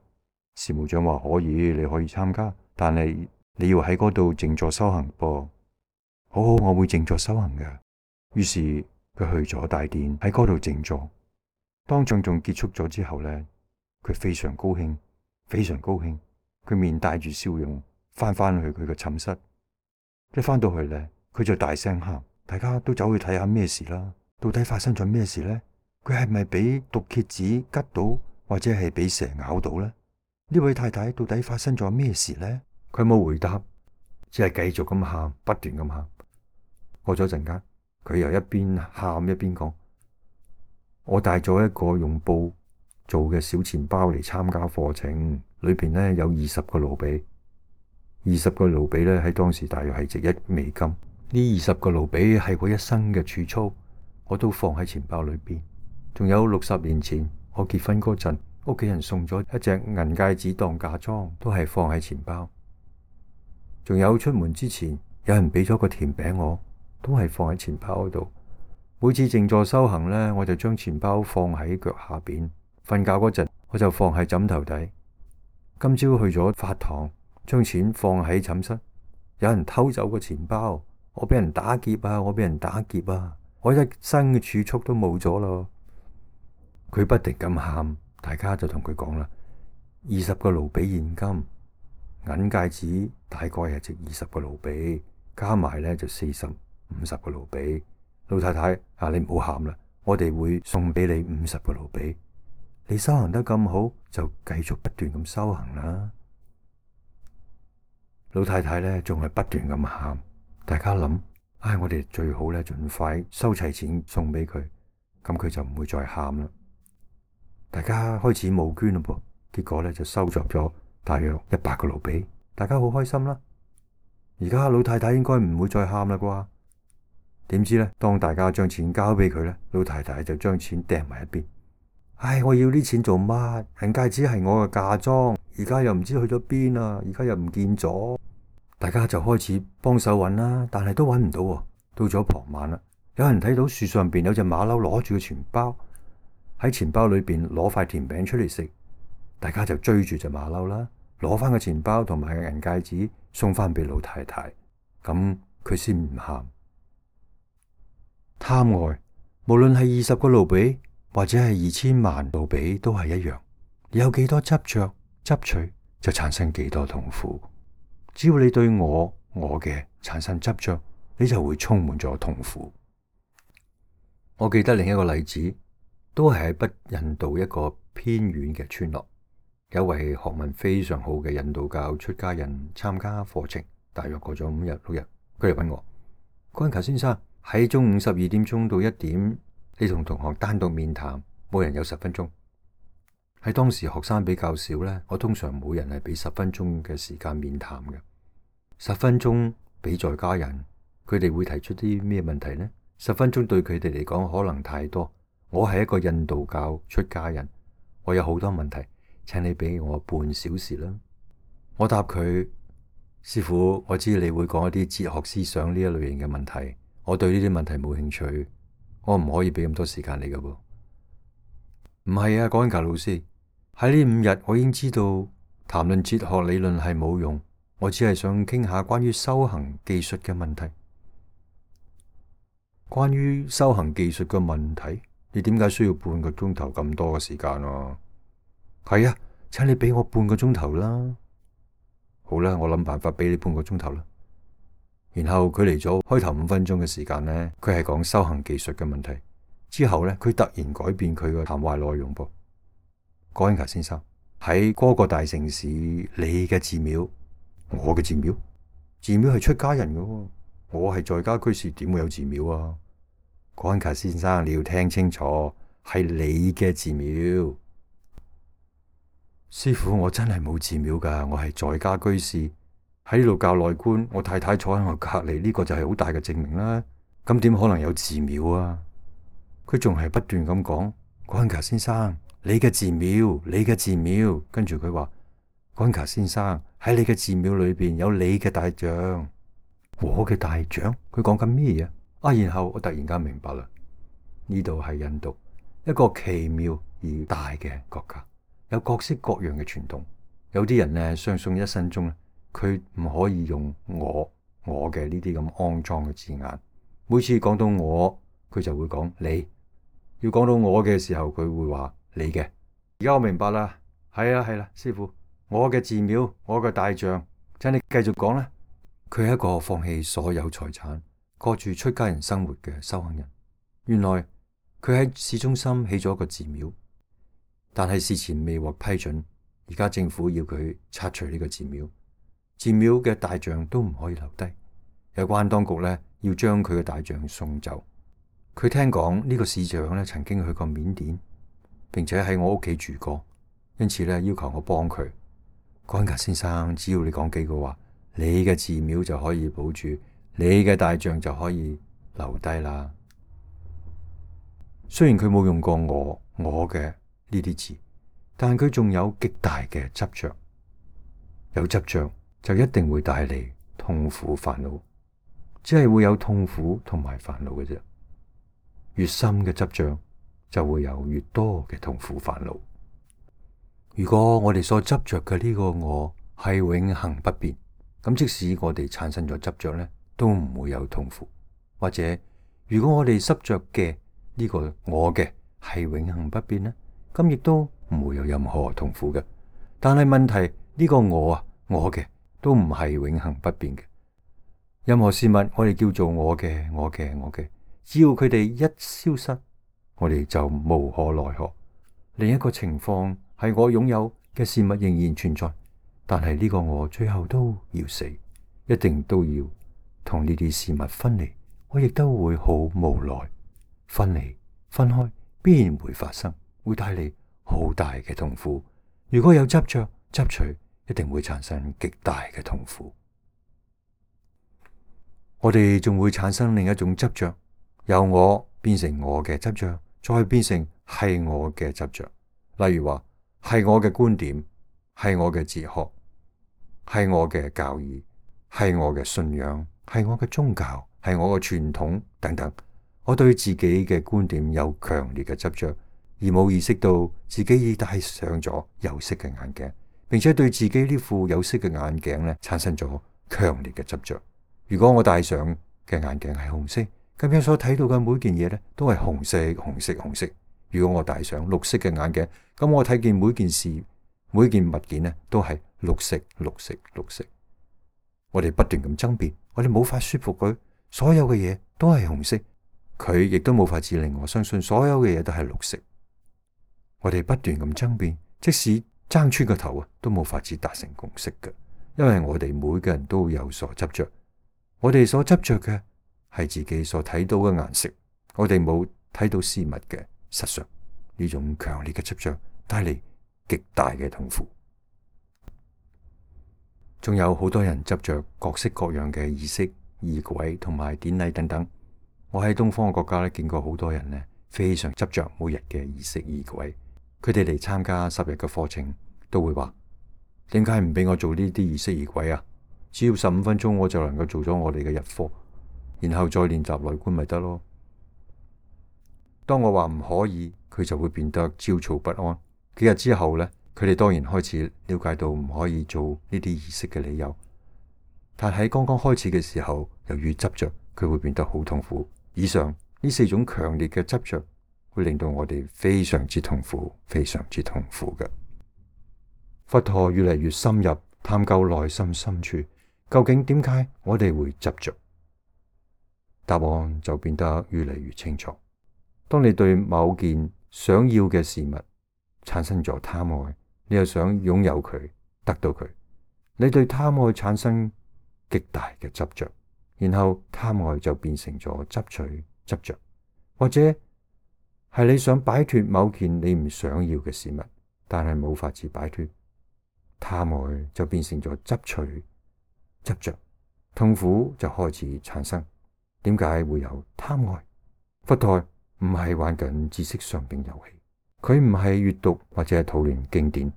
事務長話：可以，你可以參加，但係你要喺嗰度靜坐修行噃。好好，我會靜坐修行嘅。於是佢去咗大殿，喺嗰度靜坐。當唱誦結束咗之後呢，佢非常高興，非常高興。佢面帶住笑容，翻返去佢嘅寢室。一翻到去呢，佢就大聲喊，大家都走去睇下咩事啦。到底發生咗咩事呢？佢係咪俾毒蠍子吉到，或者係俾蛇咬到呢？呢位太太到底發生咗咩事呢？佢冇回答，只係繼續咁喊，不斷咁喊。過咗陣間，佢又一邊喊一邊講：我帶咗一個用布做嘅小錢包嚟參加課程，裏邊呢有二十個盧比，二十個盧比呢喺當時大約係值一美金。呢二十個盧比係我一生嘅儲蓄，我都放喺錢包裏邊。仲有六十年前我結婚嗰陣，屋企人送咗一隻銀戒指當嫁妝，都係放喺錢包。仲有出門之前，有人俾咗個甜餅我，都係放喺錢包嗰度。每次靜坐修行呢，我就將錢包放喺腳下邊，瞓覺嗰陣我就放喺枕頭底。今朝去咗法堂，將錢放喺寢室，有人偷走個錢包，我俾人打劫啊！我俾人打劫啊！我一生嘅儲蓄都冇咗咯。佢不停咁喊，大家就同佢講啦：二十個盧比現金，銀戒指大概係值二十個盧比，加埋咧就四十五十個盧比。老太太啊，你唔好喊啦，我哋會送俾你五十個盧比。你修行得咁好，就繼續不斷咁修行啦。老太太咧仲係不斷咁喊，大家諗：唉，我哋最好咧盡快收齊錢送俾佢，咁佢就唔會再喊啦。大家開始募捐咯噃，結果咧就收集咗大約一百個盧比，大家好開心啦。而家老太太應該唔會再喊啦啩？點知咧，當大家將錢交俾佢咧，老太太就將錢掟埋一邊。唉，我要啲錢做乜？銀戒指係我嘅嫁妝，而家又唔知去咗邊啊！而家又唔見咗，大家就開始幫手揾啦，但係都揾唔到。到咗傍晚啦，有人睇到樹上邊有隻馬騮攞住個錢包，喺錢包裏邊攞塊甜餅出嚟食，大家就追住隻馬騮啦，攞翻個錢包同埋個銀戒指送翻俾老太太，咁佢先唔喊。貪愛，無論係二十個盧比或者係二千萬盧比都係一樣，你有幾多執着執取，就產生幾多痛苦。只要你對我我嘅產生執着，你就會充滿咗痛苦。我記得另一個例子，都係喺北印度一個偏遠嘅村落，有位學問非常好嘅印度教出家人參加課程，大約過咗五日六日，佢嚟揾我：郭恩卡先生，喺中午十二點鐘到一點，你同同學單獨面談，每人有十分鐘。喺當時學生比較少呢，我通常每人係俾十分鐘嘅時間面談嘅。十分鐘俾在家人，佢哋會提出啲咩問題呢？十分鐘對佢哋嚟講可能太多。我係一個印度教出家人，我有好多問題，請你俾我半小時啦。我答佢：師父，我知你會講一啲哲學思想呢一類型嘅問題，我對呢啲問題冇興趣，我唔可以俾咁多時間你噶噃。唔係啊，郭恩卡老師，喺呢五日我已經知道談論哲學理論係冇用，我只係想傾下關於修行技術嘅問題。關於修行技術嘅問題，你點解需要半個鐘頭咁多嘅時間啊？係啊，請你俾我半個鐘頭啦。好啦，我諗辦法俾你半個鐘頭啦。然後佢嚟咗開頭五分鐘嘅時間呢，佢係講修行技術嘅問題。之後呢，佢突然改變佢嘅談話內容噃。哥恩格先生，喺嗰個大城市，你嘅寺廟，我嘅寺廟，寺廟係出家人嘅，我係在家居士，點會有寺廟啊？哥恩格先生，你要聽清楚，係你嘅寺廟。師父，我真係冇寺廟噶，我係在家居士，喺呢度教內觀，我太太坐喺我隔籬，呢個就係好大嘅證明啦。咁點可能有寺廟啊？佢仲係不斷咁講，哥恩格先生，你嘅寺廟，你嘅寺廟。跟住佢話，哥恩格先生，喺你嘅寺廟裏邊有你嘅大像，我嘅大像。佢講緊咩嘢啊？然後我突然間明白啦，呢度係印度，一個奇妙而大嘅國家，有各式各樣嘅傳統。有啲人呢，相信一生中咧，佢唔可以用我我嘅呢啲咁骯髒嘅字眼。每次講到我，佢就會講你。要講到我嘅時候，佢會話你嘅。而家我明白啦，係啊係啦，師父，我嘅寺廟，我嘅大像，請你繼續講啦。佢係一個放棄所有財產，過住出家人生活嘅修行人。原來佢喺市中心起咗一個寺廟，但係事前未獲批准，而家政府要佢拆除呢個寺廟，寺廟嘅大像都唔可以留低。有關當局呢，要將佢嘅大像送走。佢聽講呢個市長咧曾經去過緬甸，並且喺我屋企住過，因此咧要求我幫佢。哥恩格先生，只要你講幾句話，你嘅寺廟就可以保住，你嘅大像就可以留低啦。雖然佢冇用過我我嘅呢啲字，但佢仲有極大嘅執着。有執着就一定會帶嚟痛苦煩惱，只係會有痛苦同埋煩惱嘅啫。越深嘅執着就會有越多嘅痛苦煩惱。如果我哋所執着嘅呢個我係永恆不變，咁即使我哋產生咗執着咧，都唔會有痛苦。或者如果我哋執着嘅呢個我嘅係永恆不變咧，咁亦都唔會有任何痛苦嘅。但係問題，呢個我啊，我嘅都唔係永恆不變嘅。任何事物我哋叫做我嘅，我嘅，我嘅。只要佢哋一消失，我哋就無可奈何。另一個情況係我擁有嘅事物仍然存在，但係呢個我最後都要死，一定都要同呢啲事物分離。我亦都會好無奈。分離分開必然會發生，會帶嚟好大嘅痛苦。如果有執着執取，一定會產生極大嘅痛苦。我哋仲會產生另一種執着，由我變成我嘅執着，再變成係我嘅執着。例如話係我嘅觀點，係我嘅哲學，係我嘅教義，係我嘅信仰，係我嘅宗教，係我嘅傳統等等。我對自己嘅觀點有強烈嘅執着，而冇意識到自己已戴上咗有色嘅眼鏡，並且對自己呢副有色嘅眼鏡咧產生咗強烈嘅執着。如果我戴上嘅眼鏡係紅色，咁樣所睇到嘅每件嘢咧都係紅色、紅色、紅色。如果我戴上綠色嘅眼鏡，咁我睇見每件事、每件物件咧都係綠色、綠色、綠色。我哋不斷咁爭辯，我哋冇法說服佢，所有嘅嘢都係紅色。佢亦都冇法子令我相信所有嘅嘢都係綠色。我哋不斷咁爭辯，即使爭穿個頭啊，都冇法子達成共識嘅，因為我哋每個人都有所執着。我哋所執着嘅係自己所睇到嘅顏色，我哋冇睇到事物嘅實相。呢種強烈嘅執着帶嚟極大嘅痛苦。仲有好多人執着各式各樣嘅儀式、儀軌同埋典禮等等。我喺東方嘅國家咧，見過好多人咧，非常執着每日嘅儀式儀軌。佢哋嚟參加十日嘅課程，都會話：點解唔俾我做呢啲儀式儀軌啊？只要十五分鐘，我就能夠做咗我哋嘅日課，然後再練習內觀咪得咯。當我話唔可以，佢就會變得焦躁不安。幾日之後咧，佢哋當然開始了解到唔可以做呢啲儀式嘅理由。但喺剛剛開始嘅時候，由於執着，佢會變得好痛苦。以上呢四種強烈嘅執着，會令到我哋非常之痛苦，非常之痛苦嘅。佛陀越嚟越深入探究內心深處，究竟點解我哋會執着？答案就變得越嚟越清楚。當你對某件想要嘅事物產生咗貪愛，你又想擁有佢，得到佢，你對貪愛產生極大嘅執着，然後貪愛就變成咗執取、執着，或者係你想擺脫某件你唔想要嘅事物，但係冇法子擺脫，貪愛就變成咗執取、執着，痛苦就開始產生。點解會有貪愛？佛陀唔係玩緊知識上邊遊戲，佢唔係閱讀或者係討論經典，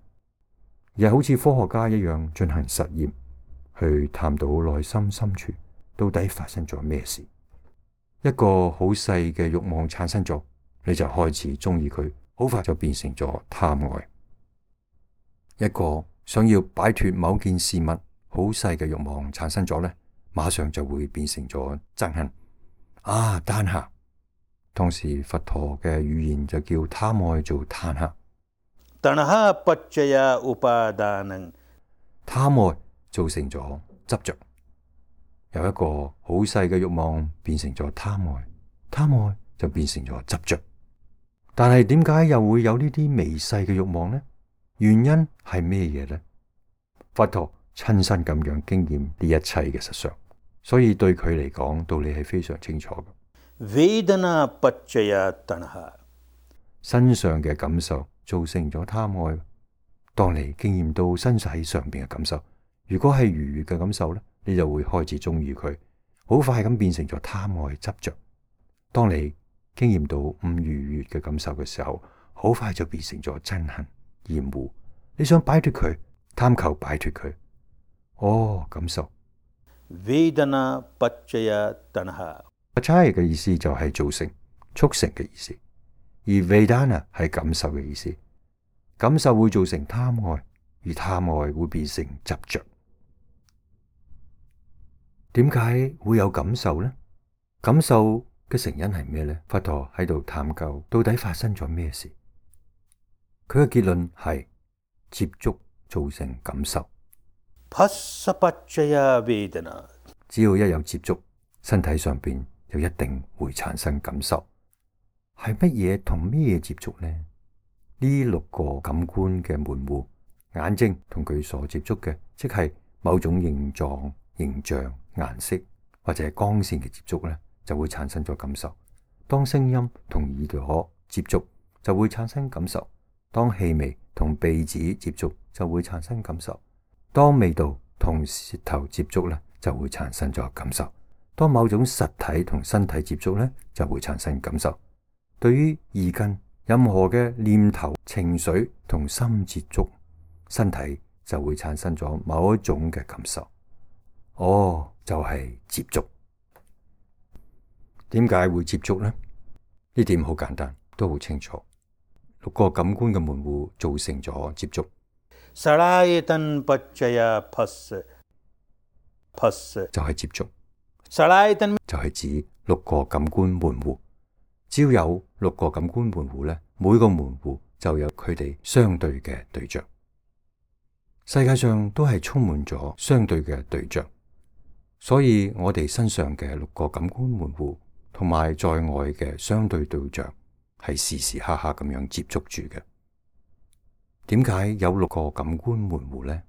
而係好似科學家一樣進行實驗，去探到內心深處到底發生咗咩事。一個好細嘅慾望產生咗，你就開始中意佢，好快就變成咗貪愛。一個想要擺脫某件事物好細嘅慾望產生咗呢，馬上就會變成咗憎恨。啊，貪下。當時佛陀嘅語言就叫貪愛做貪下。तणहा पच्चया उपादानं，貪愛造成咗執着，由一個好細嘅慾望變成咗貪愛，貪愛就變成咗執着。但係點解又會有呢啲微細嘅慾望呢？原因係咩嘢呢？佛陀親身咁樣經驗呢一切嘅實相，所以對佢嚟講道理係非常清楚嘅。वेदना पच्चया तणहा，身上嘅感受造成咗貪愛。當你經驗到身體上邊嘅感受，如果係愉悅嘅感受咧，你就會開始中意佢，好快咁變成咗貪愛執着。當你經驗到唔愉悅嘅感受嘅時候，好快就變成咗憎恨、厭惡。你想擺脫佢，貪求擺脫佢。哦，感受。वेदना पच्चया तणहा，Pacaya 嘅意思就係造成、促成嘅意思，而 Vedana 係感受嘅意思。感受會造成貪愛，而貪愛會變成執着。點解會有感受呢？感受嘅成因係咩呢？佛陀喺度探究到底發生咗咩事。佢嘅結論係接觸造成感受。phassa पच्चया वेदना，只要一有接觸，身體上邊就一定會產生感受。係乜嘢同咩嘢接觸呢？呢六個感官嘅門戶，眼睛同佢所接觸嘅，即係某種形狀、形象、顏色或者光線嘅接觸呢，就會產生咗感受。當聲音同耳朵接觸，就會產生感受。當氣味同鼻子接觸，就會產生感受。當味道同舌頭接觸呢，就會產生咗感受。當某種實體同身體接觸呢，就會產生感受。對於意根，任何嘅念頭、情緒同心接觸，身體就會產生咗某一種嘅感受。哦，就係接觸。點解會接觸呢？呢點好簡單，都好清楚。六個感官嘅門戶造成咗接觸。सलायतन पच्चया phassa，phassa就係接觸。सलायतन就係指六個感官門戶。只要有六個感官門戶呢，每個門戶就有佢哋相對嘅對象。世界上都係充滿咗相對嘅對象，所以我哋身上嘅六個感官門戶同埋在外嘅相對對象係時時刻刻咁樣接觸住嘅。點解有六個感官門戶呢？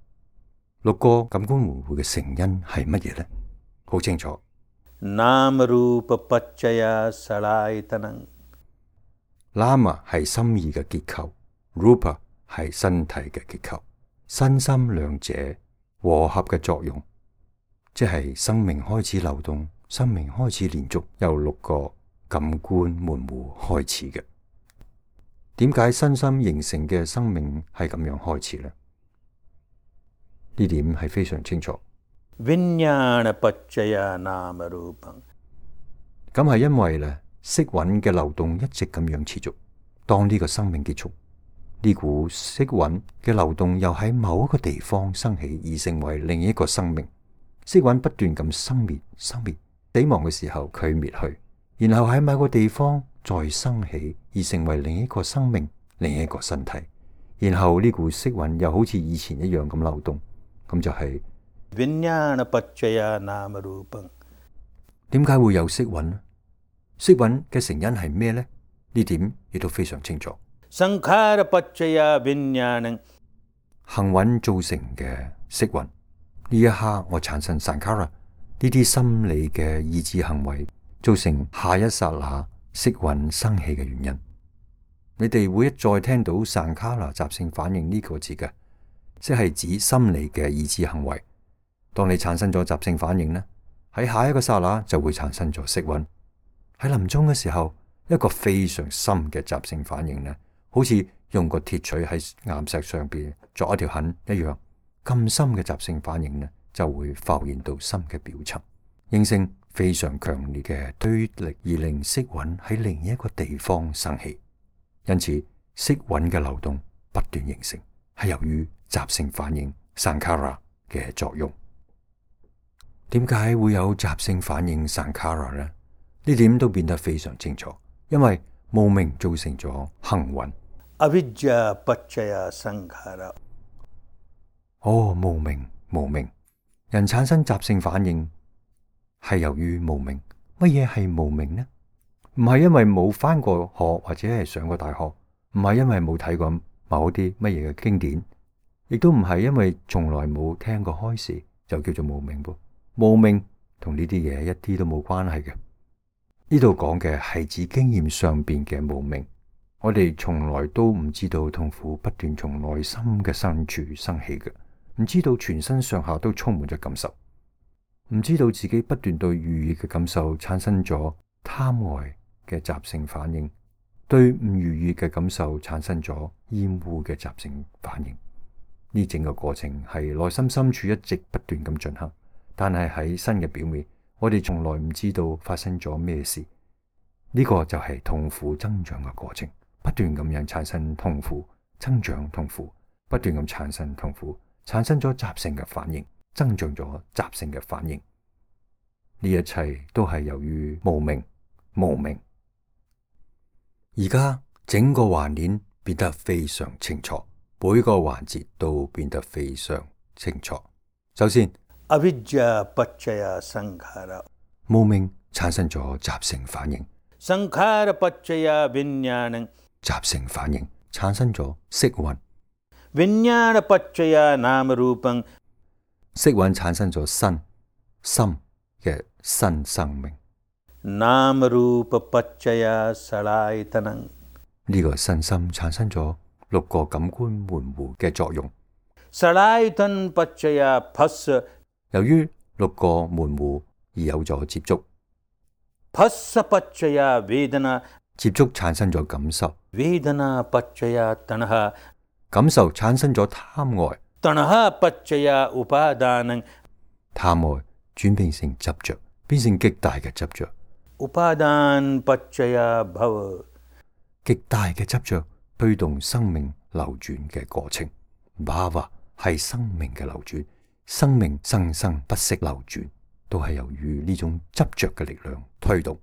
六個感官門戶嘅成因係乜嘢呢？好清楚。नाम रूप पच्चया सलायतनं， Nama 係心意嘅結構， Rupa 係身體嘅結構，身心兩者和合嘅作用，即係生命開始流動，生命開始連續，由六個感官門戶開始嘅。點解身心形成嘅生命係咁樣開始呢？呢點係非常清楚。विज्ञान पच्चया नाम रूपं，咁係因為咧，色蘊嘅流動一直咁樣持續。當呢個生命結束，呢股色蘊嘅流動又喺某一個地方生起，而成為另一個生命。色蘊不斷咁生滅、生滅，死亡嘅時候佢滅去，然後喺某個地方再生起，而成為另一個生命、另一個身體。然後呢股色蘊又好似以前一樣咁流動，咁就係、是。विज्ञान पच्चया नाम रूपं，點解會有色蘊呢？色蘊嘅成因係咩呢？呢點亦都非常清楚。Sankhara paccaya vinyanam。行蘊造成嘅色蘊，呢一刻我產生 sankhara 呢啲心理嘅意志行為，造成下一剎那色蘊生起嘅原因。你哋會一再聽到 sankhara 習性反應呢個字嘅，即係指心理嘅意志行為。當你產生咗習性反應呢，喺下一個剎那就會產生咗色蘊。喺臨終嘅時候，一個非常深嘅習性反應呢，好似用個鐵錘喺岩石上邊鑿一條痕一樣，咁深嘅習性反應呢，就會浮現到心嘅表層，形成非常強烈嘅推力，而令色蘊喺另一個地方生起。因此，色蘊嘅流動不斷形成，係由於習性反應 sankhara 嘅作用。點解會有習性反應 sankhara 呢？呢點都變得非常清楚，因為無明造成咗行蘊。Avidya paccaya sankhara。哦，無明，無明，人產生習性反應係由於無明。乜嘢係無明呢？唔係因為冇返過學或者係上過大學，唔係因為冇睇過某啲乜嘢嘅經典，亦都唔係因為從來冇聽過開示就叫做無明噃。無明同呢啲嘢一啲都冇關係嘅。呢度講嘅係指經驗上邊嘅無明。我哋從來都唔知道痛苦不斷從內心嘅深處生起嘅，唔知道全身上下都充滿咗感受，唔知道自己不斷對愉悅嘅感受產生咗貪愛嘅習性反應，對唔愉悅嘅感受產生咗厭惡嘅習性反應。呢整個過程係內心深處一直不斷咁進行，但係喺身嘅表面，我哋從來唔知道發生咗咩事。呢個就係痛苦增長嘅過程。不斷咁樣產生痛苦，增長痛苦，不斷咁產生痛苦，產生咗習性嘅反應，增長咗習性嘅反應。呢一切都係由於無明，無明。而家整個環鏈變得非常清楚，每個環節都變得非常清楚。首先， Avidya paccaya sankhara。無明產生咗習性反應。Sankhara paccaya vinyanam。習性反應產生咗色蘊。Vinyana paccaya namarupam。色蘊產生咗身心嘅新生命。Namarupa paccaya salayitanam。呢個身心產生咗六個感官門戶嘅作用。Salayitan paccaya phassa。由於六個門戶而有咗接觸。Phassa paccaya vedana。接觸產生咗感受。Vedana paccaya tanha。感受產生咗貪愛。Tanha paccaya upadanam。貪愛轉變成執着，變成極大嘅執着。Upadan paccaya bhava。極大嘅執着推動生命流轉嘅過程。Bhava係生命嘅流轉，生命生生不息流轉，都係由於呢種執着嘅力量推動。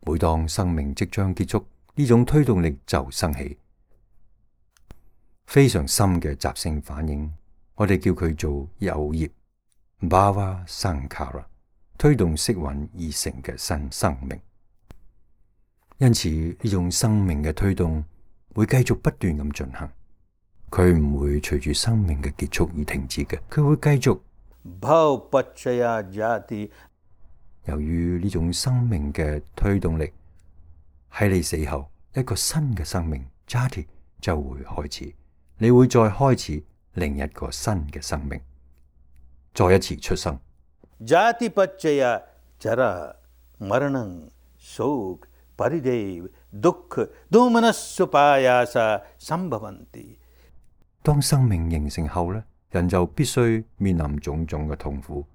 每當生命即將結束，呢種推動力就生起非常深嘅習性反應，我哋叫佢做有業 Bhava Sankhara， 推動色蘊而成嘅新生命。因此呢種生命嘅推動會繼續不斷咁進行，佢唔會隨住生命嘅結束而停止嘅，佢會繼續。Bhav paccaya jati。由於呢種生命嘅推動力，喺你死後一個新嘅生命 jati 就會開始，你會再開始另一個新嘅生命，再一次出生。Jati paccaya jara maranam shok paridev dukh domanasupayasa sambhavanti。當生命形成後呢，人就必須面臨種種嘅痛苦，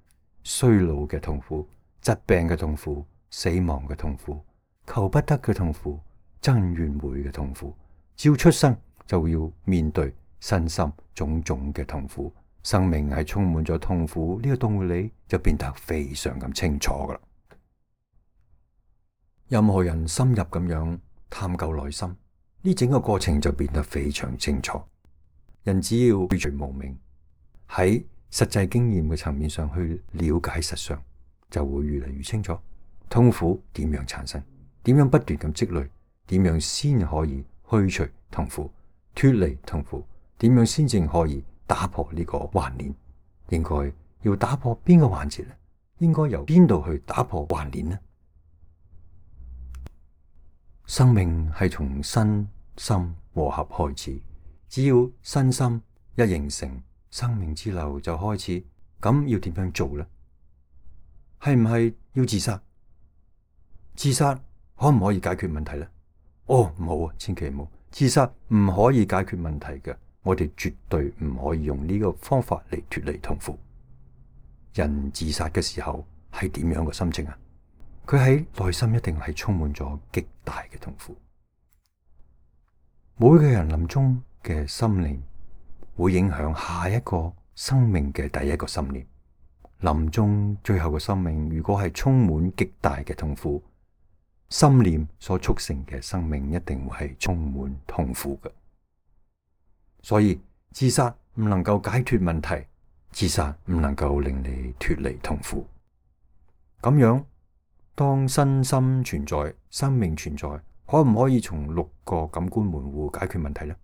衰老嘅痛苦、疾病嘅痛苦、死亡嘅痛苦、求不得嘅痛苦、爭怨會嘅痛苦。只要出生就要面對身心種種嘅痛苦，生命係充滿咗痛苦，呢個道理就變得非常咁清楚噶啦。任何人深入咁樣探究內心，呢整個過程就變得非常清楚。人只要去除無明，喺實際經驗嘅層面上去了解實相，就會越嚟越清楚。痛苦點樣產生？點樣不斷咁積累？點樣先可以去除痛苦、脫離痛苦？點樣先正可以打破呢個環鏈？應該要打破邊個環節呢？應該由邊度去打破環鏈呢？生命係從身心和合開始，只要身心一形成，生命之流就開始。咁要點樣做呢？係唔係要自殺？自殺可唔可以解決問題呢？哦，唔好啊，千祈唔好，自殺唔可以解決問題嘅。我哋絕對唔可以用呢個方法嚟脫離痛苦。人自殺嘅時候係點樣嘅心情啊？佢喺內心一定係充滿咗極大嘅痛苦。每個人臨終嘅心念會影響下一個生命嘅第一個心念。臨終最後嘅生命如果係充滿極大嘅痛苦，心念所促成嘅生命一定會係充滿痛苦嘅。所以自殺唔能夠解脫問題，自殺唔能夠令你脫離痛苦。咁樣，當身心存在，生命存在，可唔可以從六個感官門戶解決問題呢？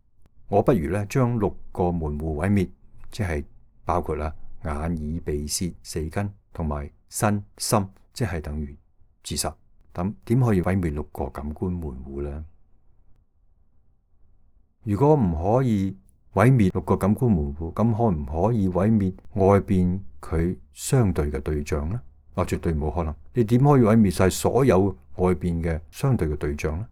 我不如咧將六個門戶毀滅，即係包括啦眼耳鼻舌四根同埋身心，即係等於自殺。咁點可以毀滅六個感官門戶呢？如果唔可以毀滅六個感官門戶，咁可唔可以毀滅外邊佢相對嘅對象呢？啊，絕對冇可能。你點可以毀滅晒所有外邊嘅相對嘅對象呢？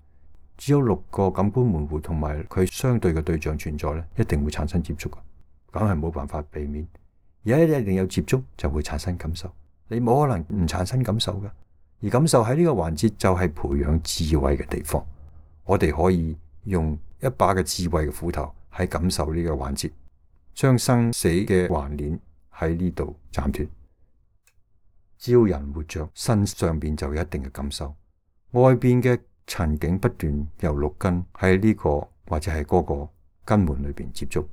只有六個感官門戶同埋佢相對嘅對象存在呢，一定會產生接觸嘅，梗係冇辦法避免。而家一定有接觸就會產生感受，你冇可能唔產生感受嘅。而感受喺呢個環節就係培養智慧嘅地方。我哋可以用一把嘅智慧嘅斧頭喺感受呢個環節，將生死嘅環鏈喺呢度斬斷。只要人活着，身上邊就有一定嘅感受，外邊嘅塵境不斷由六根喺呢個或者係嗰個根門裏邊接觸，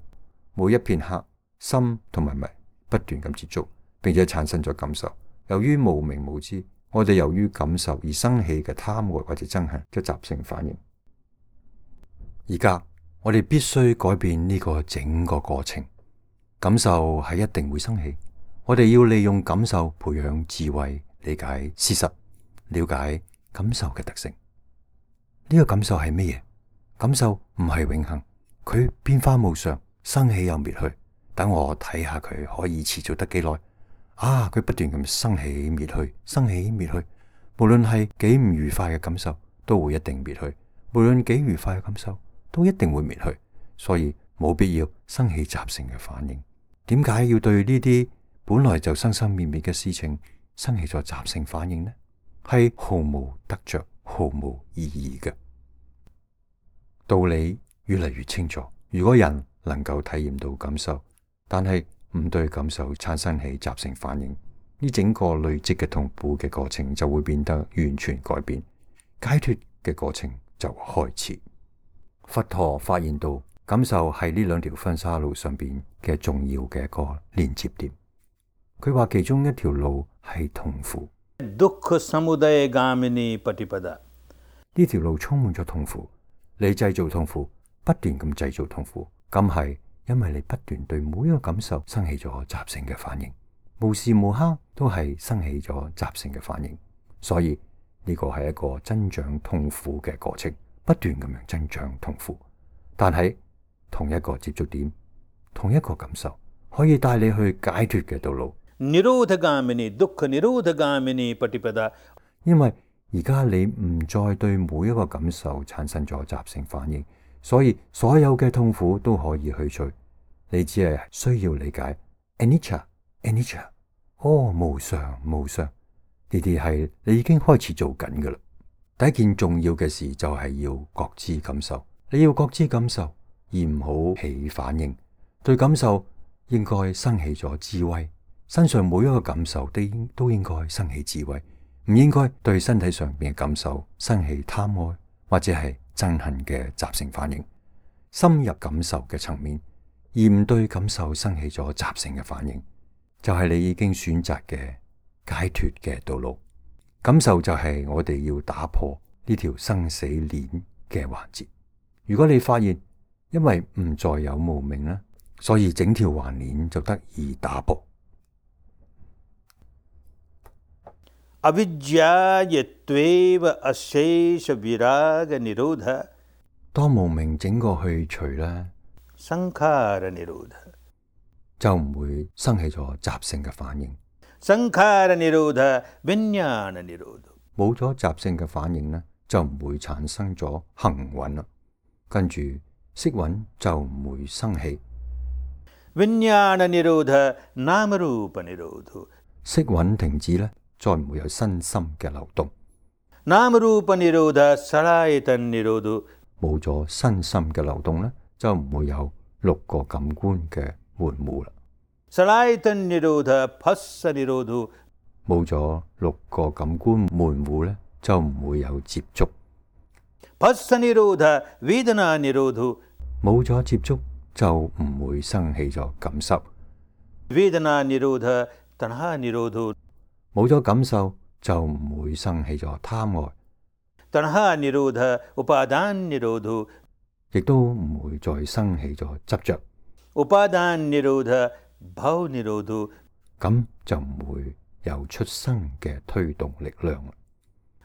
每一片刻心同埋迷不斷咁接觸，並且產生咗感受。由於無明無知，我哋由於感受而生起嘅貪愛或者憎恨嘅習性反應。而家我哋必須改變呢個整個過程，感受係一定會生起。我哋要利用感受培養智慧，理解事實，了解感受嘅特性。呢個感受係乜嘢？感受唔係永恆，佢變化無常，生起又滅去。等我睇下佢可以持續得幾耐。啊，佢不斷咁生起滅去，生起滅去。無論係幾唔愉快嘅感受，都會一定滅去；無論幾愉快嘅感受，都一定會滅去。所以冇必要生起習性嘅反應。點解要對呢啲本來就生生滅滅嘅事情生起咗習性反應呢？係毫無得着、毫無意義嘅。道理越嚟越清楚。如果人能夠體驗到感受，但係唔對感受產生起習性反應，呢整個累積嘅痛苦嘅過程就會變得完全改變，解脫嘅過程就開始。佛陀發現到感受係呢兩條婚紗路上邊嘅重要嘅一個連接點。佢話其中一條路係痛苦。Dukkha samudaya gamini patipada。呢條路充滿咗痛苦，你製造痛苦，不斷咁製造痛苦，咁係因為你不斷對每一個感受生起咗習性嘅反應，無時無刻都係生起咗習性嘅反應，所以呢個係一個增長痛苦嘅過程，不斷咁樣增長痛苦。但係同一個接觸點，同一個感受，可以帶你去解脫嘅道路。Nirodhagamini dukkha nirodhagamini patipada。因為而家你唔再對每一個感受產生咗習性反應，所以所有嘅痛苦都可以去除。你只係需要理解 anicca anicca， 哦，無常無常，呢啲係你已經開始做緊噶啦。第一件重要嘅事就係要覺知感受，你要覺知感受，而唔好起反應。對感受應該生起咗智慧，身上每一個感受都應都應該生起智慧，唔應該對身體上邊嘅感受生起貪愛或者係憎恨嘅習性反應。深入感受嘅層面，而唔對感受生起咗習性嘅反應，就係你已經選擇嘅解脫嘅道路。感受就係我哋要打破呢條生死鏈嘅環節。如果你發現因為唔再有無明啦，所以整條環鏈就得以打破。avidyayatva ashesha viraga nirodha， 當無明整個去除咧， sankhara nirodha， 就唔會生起咗習性嘅反應。sankhara nirodha vinyana nirodha， 冇咗習性嘅反應咧，就唔會產生咗行蘊啦。跟住色蘊就唔會生起。vinyana nirodha namarupa nirodha， 色蘊停止咧，再唔會有身心嘅流動。namarupa nirodha salayatan nirodha， 冇咗身心嘅流動咧，就唔會有六個感官嘅門戶啦。salayatan nirodha phassa nirodha， 冇咗六個感官門戶咧，就唔會有接觸。phassa nirodha vedana nirodha， 冇咗接觸就唔會生起咗感受。vedana nirodha tanha nirodha， 冇咗感受就唔會生起咗貪愛。tanha nirodha upadan nirodha， 亦都唔會再生起咗執着。upadan nirodha bhav nirodha， 咁就唔會有出生嘅推動力量。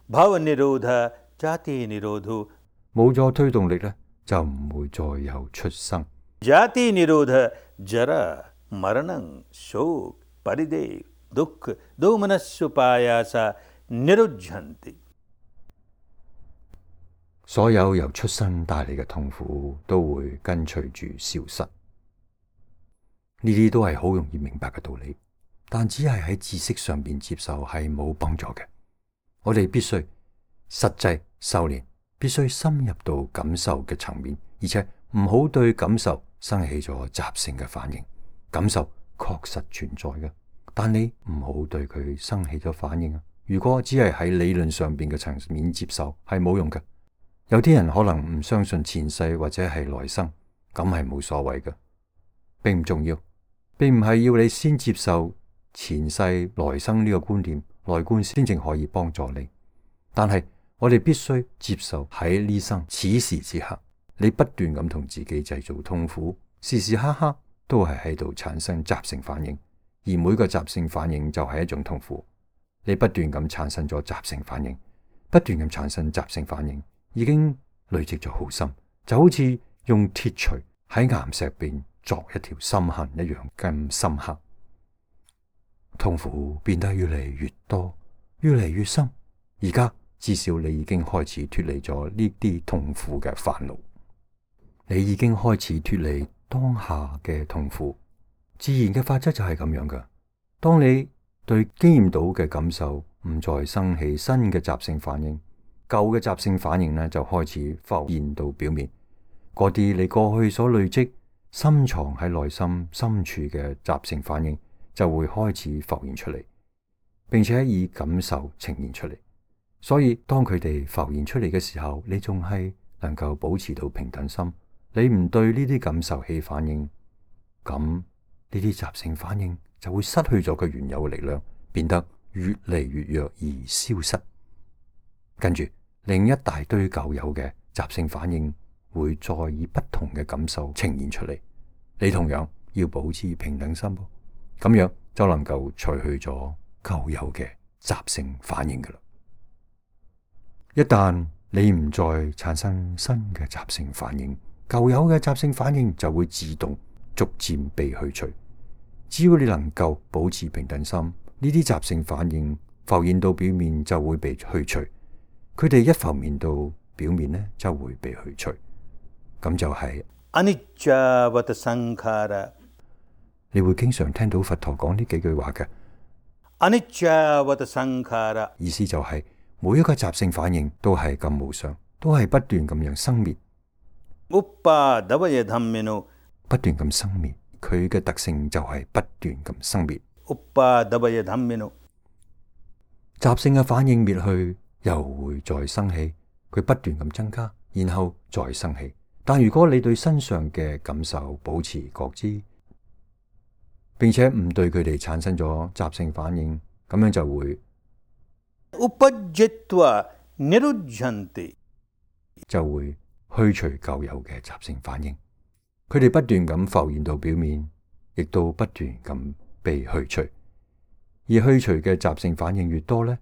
bhav nirodha jati nirodha， 冇咗推動力咧，就唔會再有出生。jati nirodha jara maranam shok paridev dukh domanasupayasa nirujhanti， 所有由出生帶嚟嘅痛苦都會跟隨住消失。呢啲都係好容易明白嘅道理，但只係喺知識上邊接受係冇幫助嘅。我哋必須實際修煉，必須深入到感受嘅層面，而且唔好對感受生起咗習性嘅反應。感受確實存在嘅，但你唔好對佢生起咗反應啊！如果只係喺理論上邊嘅層面接受，係冇用嘅。有啲人可能唔相信前世或者係來生，咁係冇所謂嘅，並唔重要，並唔係要你先接受前世來生呢個觀念，來觀先正可以幫助你。但係我哋必須接受喺呢生此時此刻，你不斷咁同自己製造痛苦，時時刻刻都係喺度產生習性反應，而每個習性反應就係一種痛苦。你不斷咁產生咗習性反應，不斷咁產生習性反應，已經累積咗好深，就好似用鐵錘喺岩石邊鑿一條深痕一樣咁深刻。痛苦變得越嚟越多，越嚟越深。而家至少你已經開始脫離咗呢啲痛苦嘅煩惱，你已經開始脫離當下嘅痛苦。自然嘅法則就係咁樣噶。當你對經驗到嘅感受唔再生起新嘅習性反應，舊嘅習性反應呢就開始浮現到表面。嗰啲你過去所累積、深藏喺內心深處嘅習性反應就會開始浮現出嚟，並且以感受呈現出嚟。所以當佢哋浮現出嚟嘅時候，你仲係能夠保持到平等心，你唔對呢啲感受起反應，咁呢啲習性反應就會失去咗佢原有嘅力量，變得越嚟越弱而消失。跟住另一大堆舊有嘅習性反應會再以不同嘅感受呈現出嚟，你同樣要保持平等心，咁樣就能夠除去咗舊有嘅習性反應噶啦。一旦你唔再產生新嘅習性反應，舊有嘅習性反應就會自動逐漸被去除。只要你能夠保持平等心，呢啲習性反應浮現到表面就會被去除。佢哋一浮現到表面呢，就會被去除。咁就係 anicca-vata sankhara。你會經常聽到佛陀講呢幾句話嘅 anicca-vata sankhara，意思就係每一個習性反應都係咁無常，都係不斷咁樣生滅。uppadavaya dhammino，不斷咁生滅，佢嘅特性就係不斷咁生滅。uppadavaya dhammino，習性嘅反應滅去，又會再生起，佢不斷咁增加，然後再生起。但如果你對身上嘅感受保持覺知，並且唔對佢哋產生咗習性反應，咁樣就會 उपज्यित्वा निरुध्यन्ति就會去除舊有嘅習性反應。佢哋不斷咁浮現到表面，亦都不斷咁被去除。而去除嘅習性反應越多呢，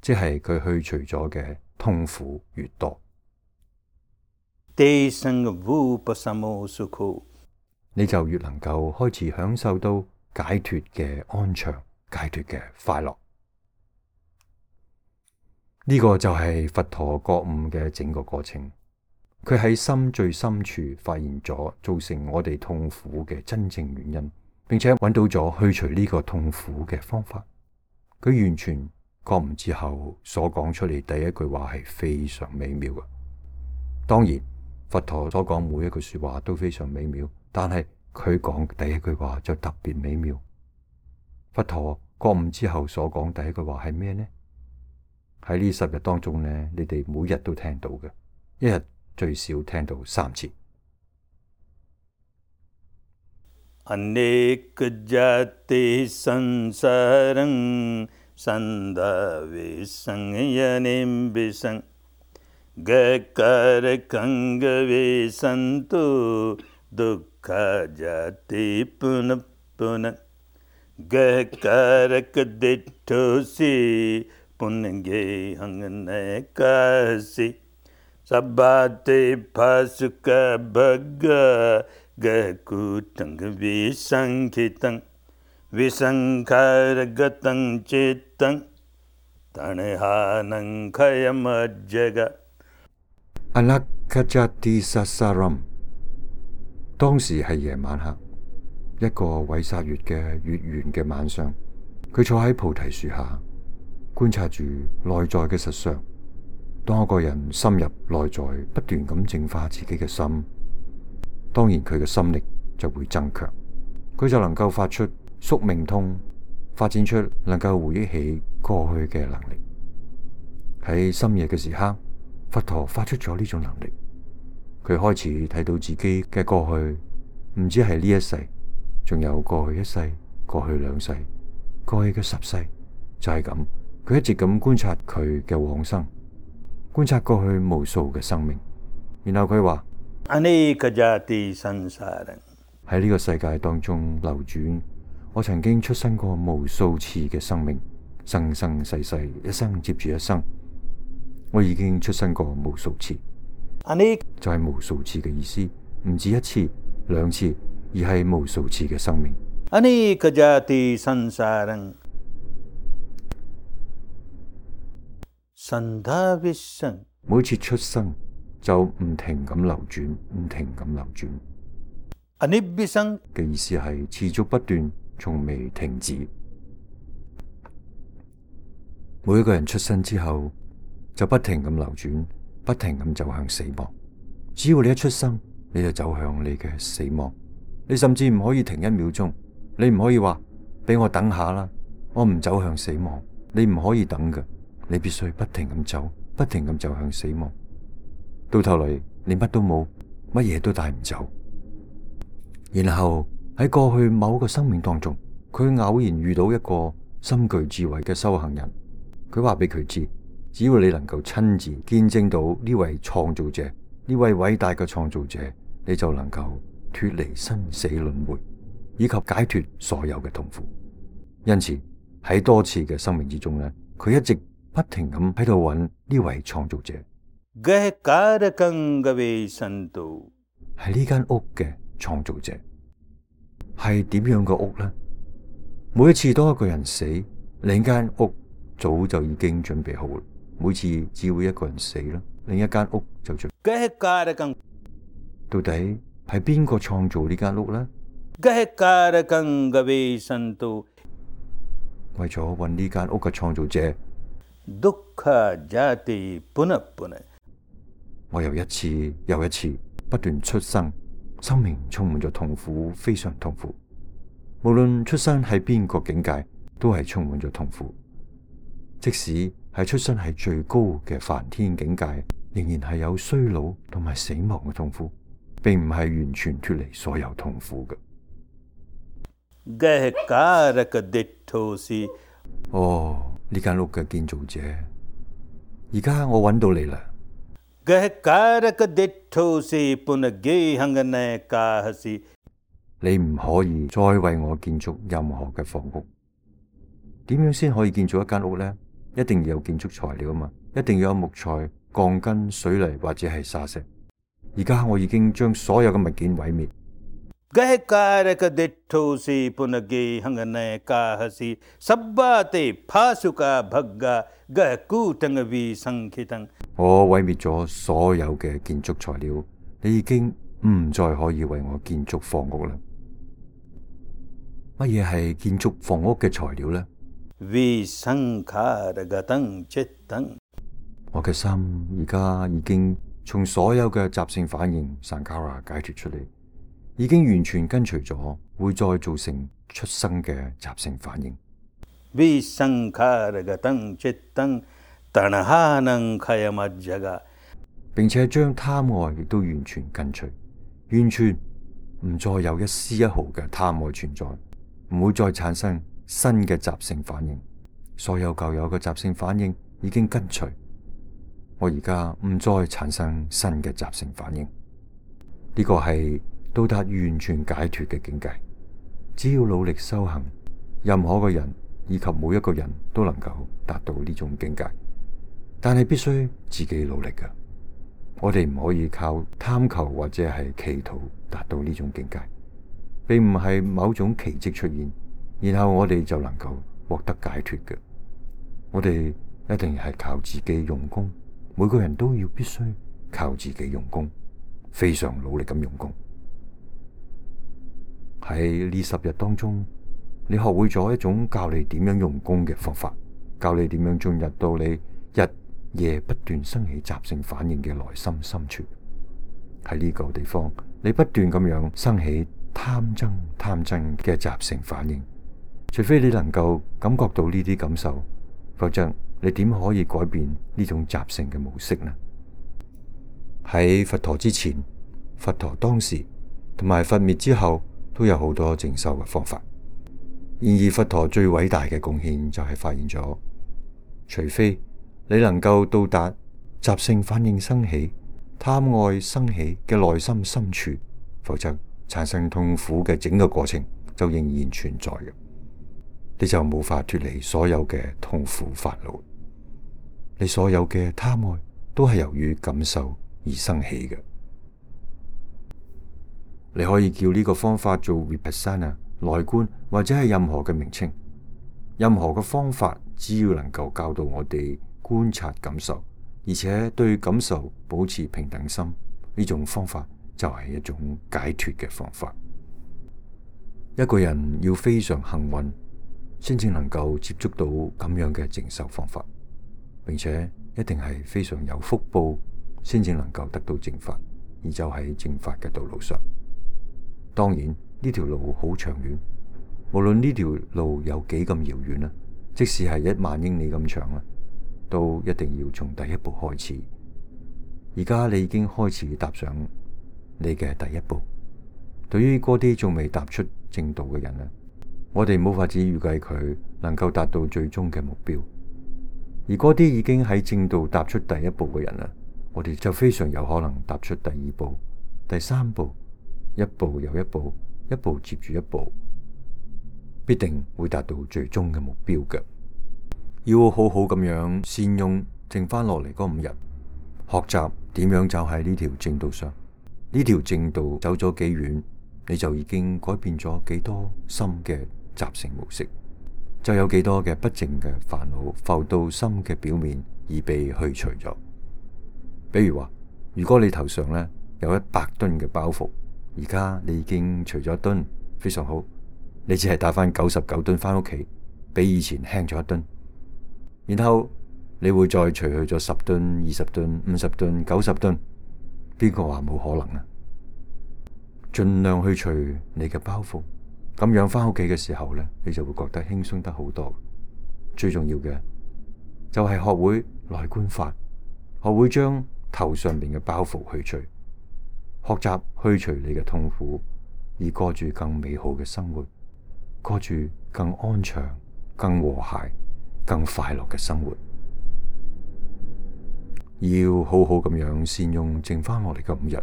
即係佢去除咗嘅痛苦越多。你就越能夠開始享受到解脫嘅安詳、解脫嘅快樂。呢個就係佛陀覺悟嘅整個過程。佢喺心最深處發現咗造成我哋痛苦嘅真正原因，並且揾到咗去除呢個痛苦嘅方法。佢完全覺悟之後所講出嚟第一句話係非常美妙嘅。當然，佛陀所講每一句說話都非常美妙，但係佢講第一句話就特別美妙。佛陀覺悟之後所講第一句話係咩呢？喺呢十日當中呢，你哋每日都聽到嘅，一日最少聽到三次。अनेक जाति संसारं संधावे संयनिं विसं गकारकंगवे संतो दुःख जाति पुनः पुनः गकारक दिठोसी पुनगे हंगने कासी सबाते फासुक भग्गा गकुटंग विसंखितं विसंखारगतं चित्तं तणहानं खयमज्जग Anakajati Sasaram。 當時係夜晚黑，一個韋薩月嘅月圓嘅晚上，佢坐喺菩提樹下，觀察住內在嘅實相。當一個人深入內在，不斷咁淨化自己嘅心，當然佢嘅心力就會增強，佢就能夠發出宿命通，發展出能夠回憶起過去嘅能力。喺深夜嘅時刻，佛陀發出咗呢種能力，佢開始睇到自己嘅過去，唔止係呢一世，仲有過去一世、過去兩世、過去嘅十世，就係咁。佢一直咁觀察佢嘅往生，觀察過去無數嘅生命，然後佢話अनेक जाति संसारं喺呢個世界當中流轉，我曾經出生過無數次嘅生命，生生世世，一生接住一生，我已經出生過無數次。अनेक就係無數次嘅意思，唔止一次、兩次，而係無數次嘅生命。अनेक जाति संसारं संधाविसं每次出生就唔停咁流轉，唔停咁流轉。अनिव्यसं嘅意思係持續不斷，從未停止。每一個人出生之後就不停咁流轉，不停咁走向死亡。只要你一出生，你就走向你嘅死亡。你甚至唔可以停一秒鐘，你唔可以話俾我等下啦，我唔走向死亡。你唔可以等嘅，你必須不停咁走，不停咁走向死亡。到頭嚟你乜都冇，乜嘢都帶唔走。然後喺過去某個生命當中，佢偶然遇到一個深具智慧嘅修行人，佢話俾佢知，只要你能夠親自見證到呢位創造者，呢位偉大嘅創造者，你就能夠脫離生死輪迴，以及解脫所有嘅痛苦。因此喺多次嘅生命之中呢，佢一直不停咁喺度揾呢位創造者。係呢間屋嘅創造者，係點樣嘅屋呢？每一次當一個人死，另一間屋早就已經準備好啦。每次只會一個人死啦，另一間屋就準備。到底係邊個創造呢間屋呢？為咗揾呢間屋嘅創造者，我又一次又一次不斷出生，生命充滿咗痛苦，非常痛苦。無論出生喺邊個境界，都係充滿咗痛苦。即使係出生喺最高嘅梵天境界，仍然係有衰老同埋死亡嘅痛苦，並唔係完全脫離所有痛苦嘅。哦，呢間屋嘅建造者，而家我揾到你啦。 गह कारक दिठो से पुन गे हंगन काहसी 你唔可以再為我建築任何嘅房屋。點樣先可以建造一間屋呢？一定要有建築材料啊嘛，一定要有木材、鋼筋、水泥或者係沙石。而家我已經將所有嘅物件毀滅。 गह कारक दिठो से पुन गे हंगन काहसी सब्बा ते फासुका भग्गा गह कूटंग भी संखितंग 我毀滅咗所有嘅建築材料，你已經唔再可以為我建築房屋啦。乜嘢係建築房屋嘅材料呢？ विसंखारगतं चित्तं 我嘅心而家已經從所有嘅習性反應 Sankara 解脫出嚟，已經完全跟隨咗會再造成出生嘅習性反應。 विसंखारगतं चित्तं तणहानं खयमज्जगा 並且將貪愛亦都完全跟隨，完全唔再有一絲一毫嘅貪愛存在，唔會再產生新嘅習性反應。所有舊有嘅習性反應已經跟隨，我而家唔再產生新嘅習性反應。呢個係到達完全解脫嘅境界。只要努力修行，任何個人以及每一個人都能夠達到呢種境界，但係必須自己努力㗎。我哋唔可以靠貪求或者係企圖達到呢種境界，並唔係某種奇蹟出現，然後我哋就能夠獲得解脫嘅。我哋一定係靠自己用功，每個人都要必須靠自己用功，非常努力咁用功。喺呢十日當中，你學會咗一種教你點樣用功嘅方法，教你點樣進入到你日夜不斷生起習性反應嘅內心深處。喺呢個地方，你不斷咁樣生起貪憎貪憎嘅習性反應，除非你能夠感覺到呢啲感受，否則你點可以改變呢種習性嘅模式呢？喺佛陀之前、佛陀當時同埋佛滅之後，都有好多靜修嘅方法。然而佛陀最偉大嘅貢獻就係發現咗，除非你能夠到達習性反應生起、貪愛生起嘅內心深處，否則產生痛苦嘅整個過程就仍然存在嘅，你就無法脫離所有嘅痛苦煩惱。你所有嘅貪愛都係由於感受而生起嘅。你可以叫呢個方法做 Vipassana 內觀，或者係任何嘅名稱。任何嘅方法只要能夠教導我哋觀察感受，而且對感受保持平等心，呢種方法就係一種解脫嘅方法。一個人要非常幸運，先至能夠接觸到咁樣嘅靜修方法，並且一定係非常有福報，先至能夠得到正法，而就喺正法嘅道路上。當然呢條路好長遠，無論呢條路有幾咁遙遠啦，即使係一萬英里咁長啦，都一定要從第一步開始。而家你已經開始踏上你嘅第一步。對於嗰啲仲未踏出正道嘅人咧，我哋冇法子預計佢能夠達到最終嘅目標。而嗰啲已經喺正道踏出第一步嘅人咧，我哋就非常有可能踏出第二步、第三步。一步又一步，一步接住一步，必定會達到最終嘅目標嘅。要好好咁樣善用剩翻落嚟嗰五日，學習點樣走喺呢條正道上。呢條正道走咗幾遠，你就已經改變咗幾多心嘅習性模式，就有幾多嘅不淨嘅煩惱浮到心嘅表面而被去除咗。比如話，如果你頭上咧有一百噸嘅包袱，而家你已經除咗一噸，非常好。你只係帶翻九十九噸翻屋企，比以前輕咗一噸。然後你會再除去咗十噸、二十噸、五十噸、九十噸。邊個話冇可能啊？盡量去除你嘅包袱，咁樣翻屋企嘅時候咧，你就會覺得輕鬆得好多。最重要嘅就係學會內觀法，學會將頭上邊嘅包袱去除。學習去除你嘅痛苦，而過住更美好嘅生活，過住更安詳、更和諧、更快樂嘅生活。要好好咁樣善用剩翻落嚟嘅五日。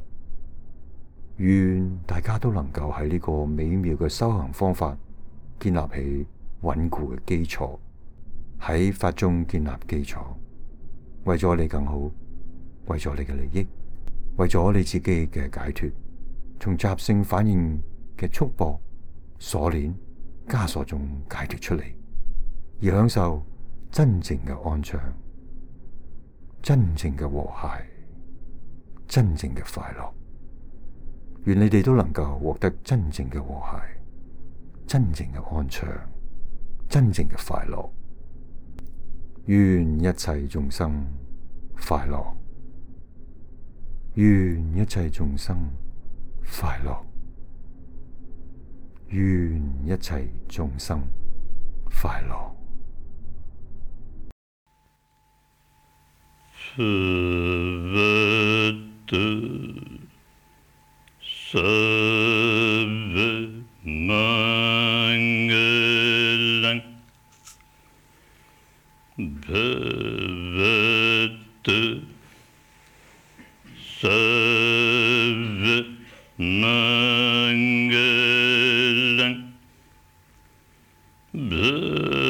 願大家都能夠喺呢個美妙嘅修行方法建立起穩固嘅基礎，喺法中建立基礎，為咗你更好，為咗你嘅利益，為咗你自己嘅解脫，從習性反應嘅束縛、鎖鏈、枷鎖中解脫出嚟，而享受真正嘅安詳、真正嘅和諧、真正嘅快樂。願你哋都能夠獲得真正嘅和諧、真正嘅安詳、真正嘅快樂。願一切眾生快樂，願一切眾生快樂，願一切眾生快樂。Sarvamangalam Bhavatu Sarvamangalam Bhavatu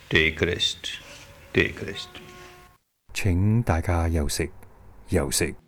Take rest, take rest. 請大家休息，休息。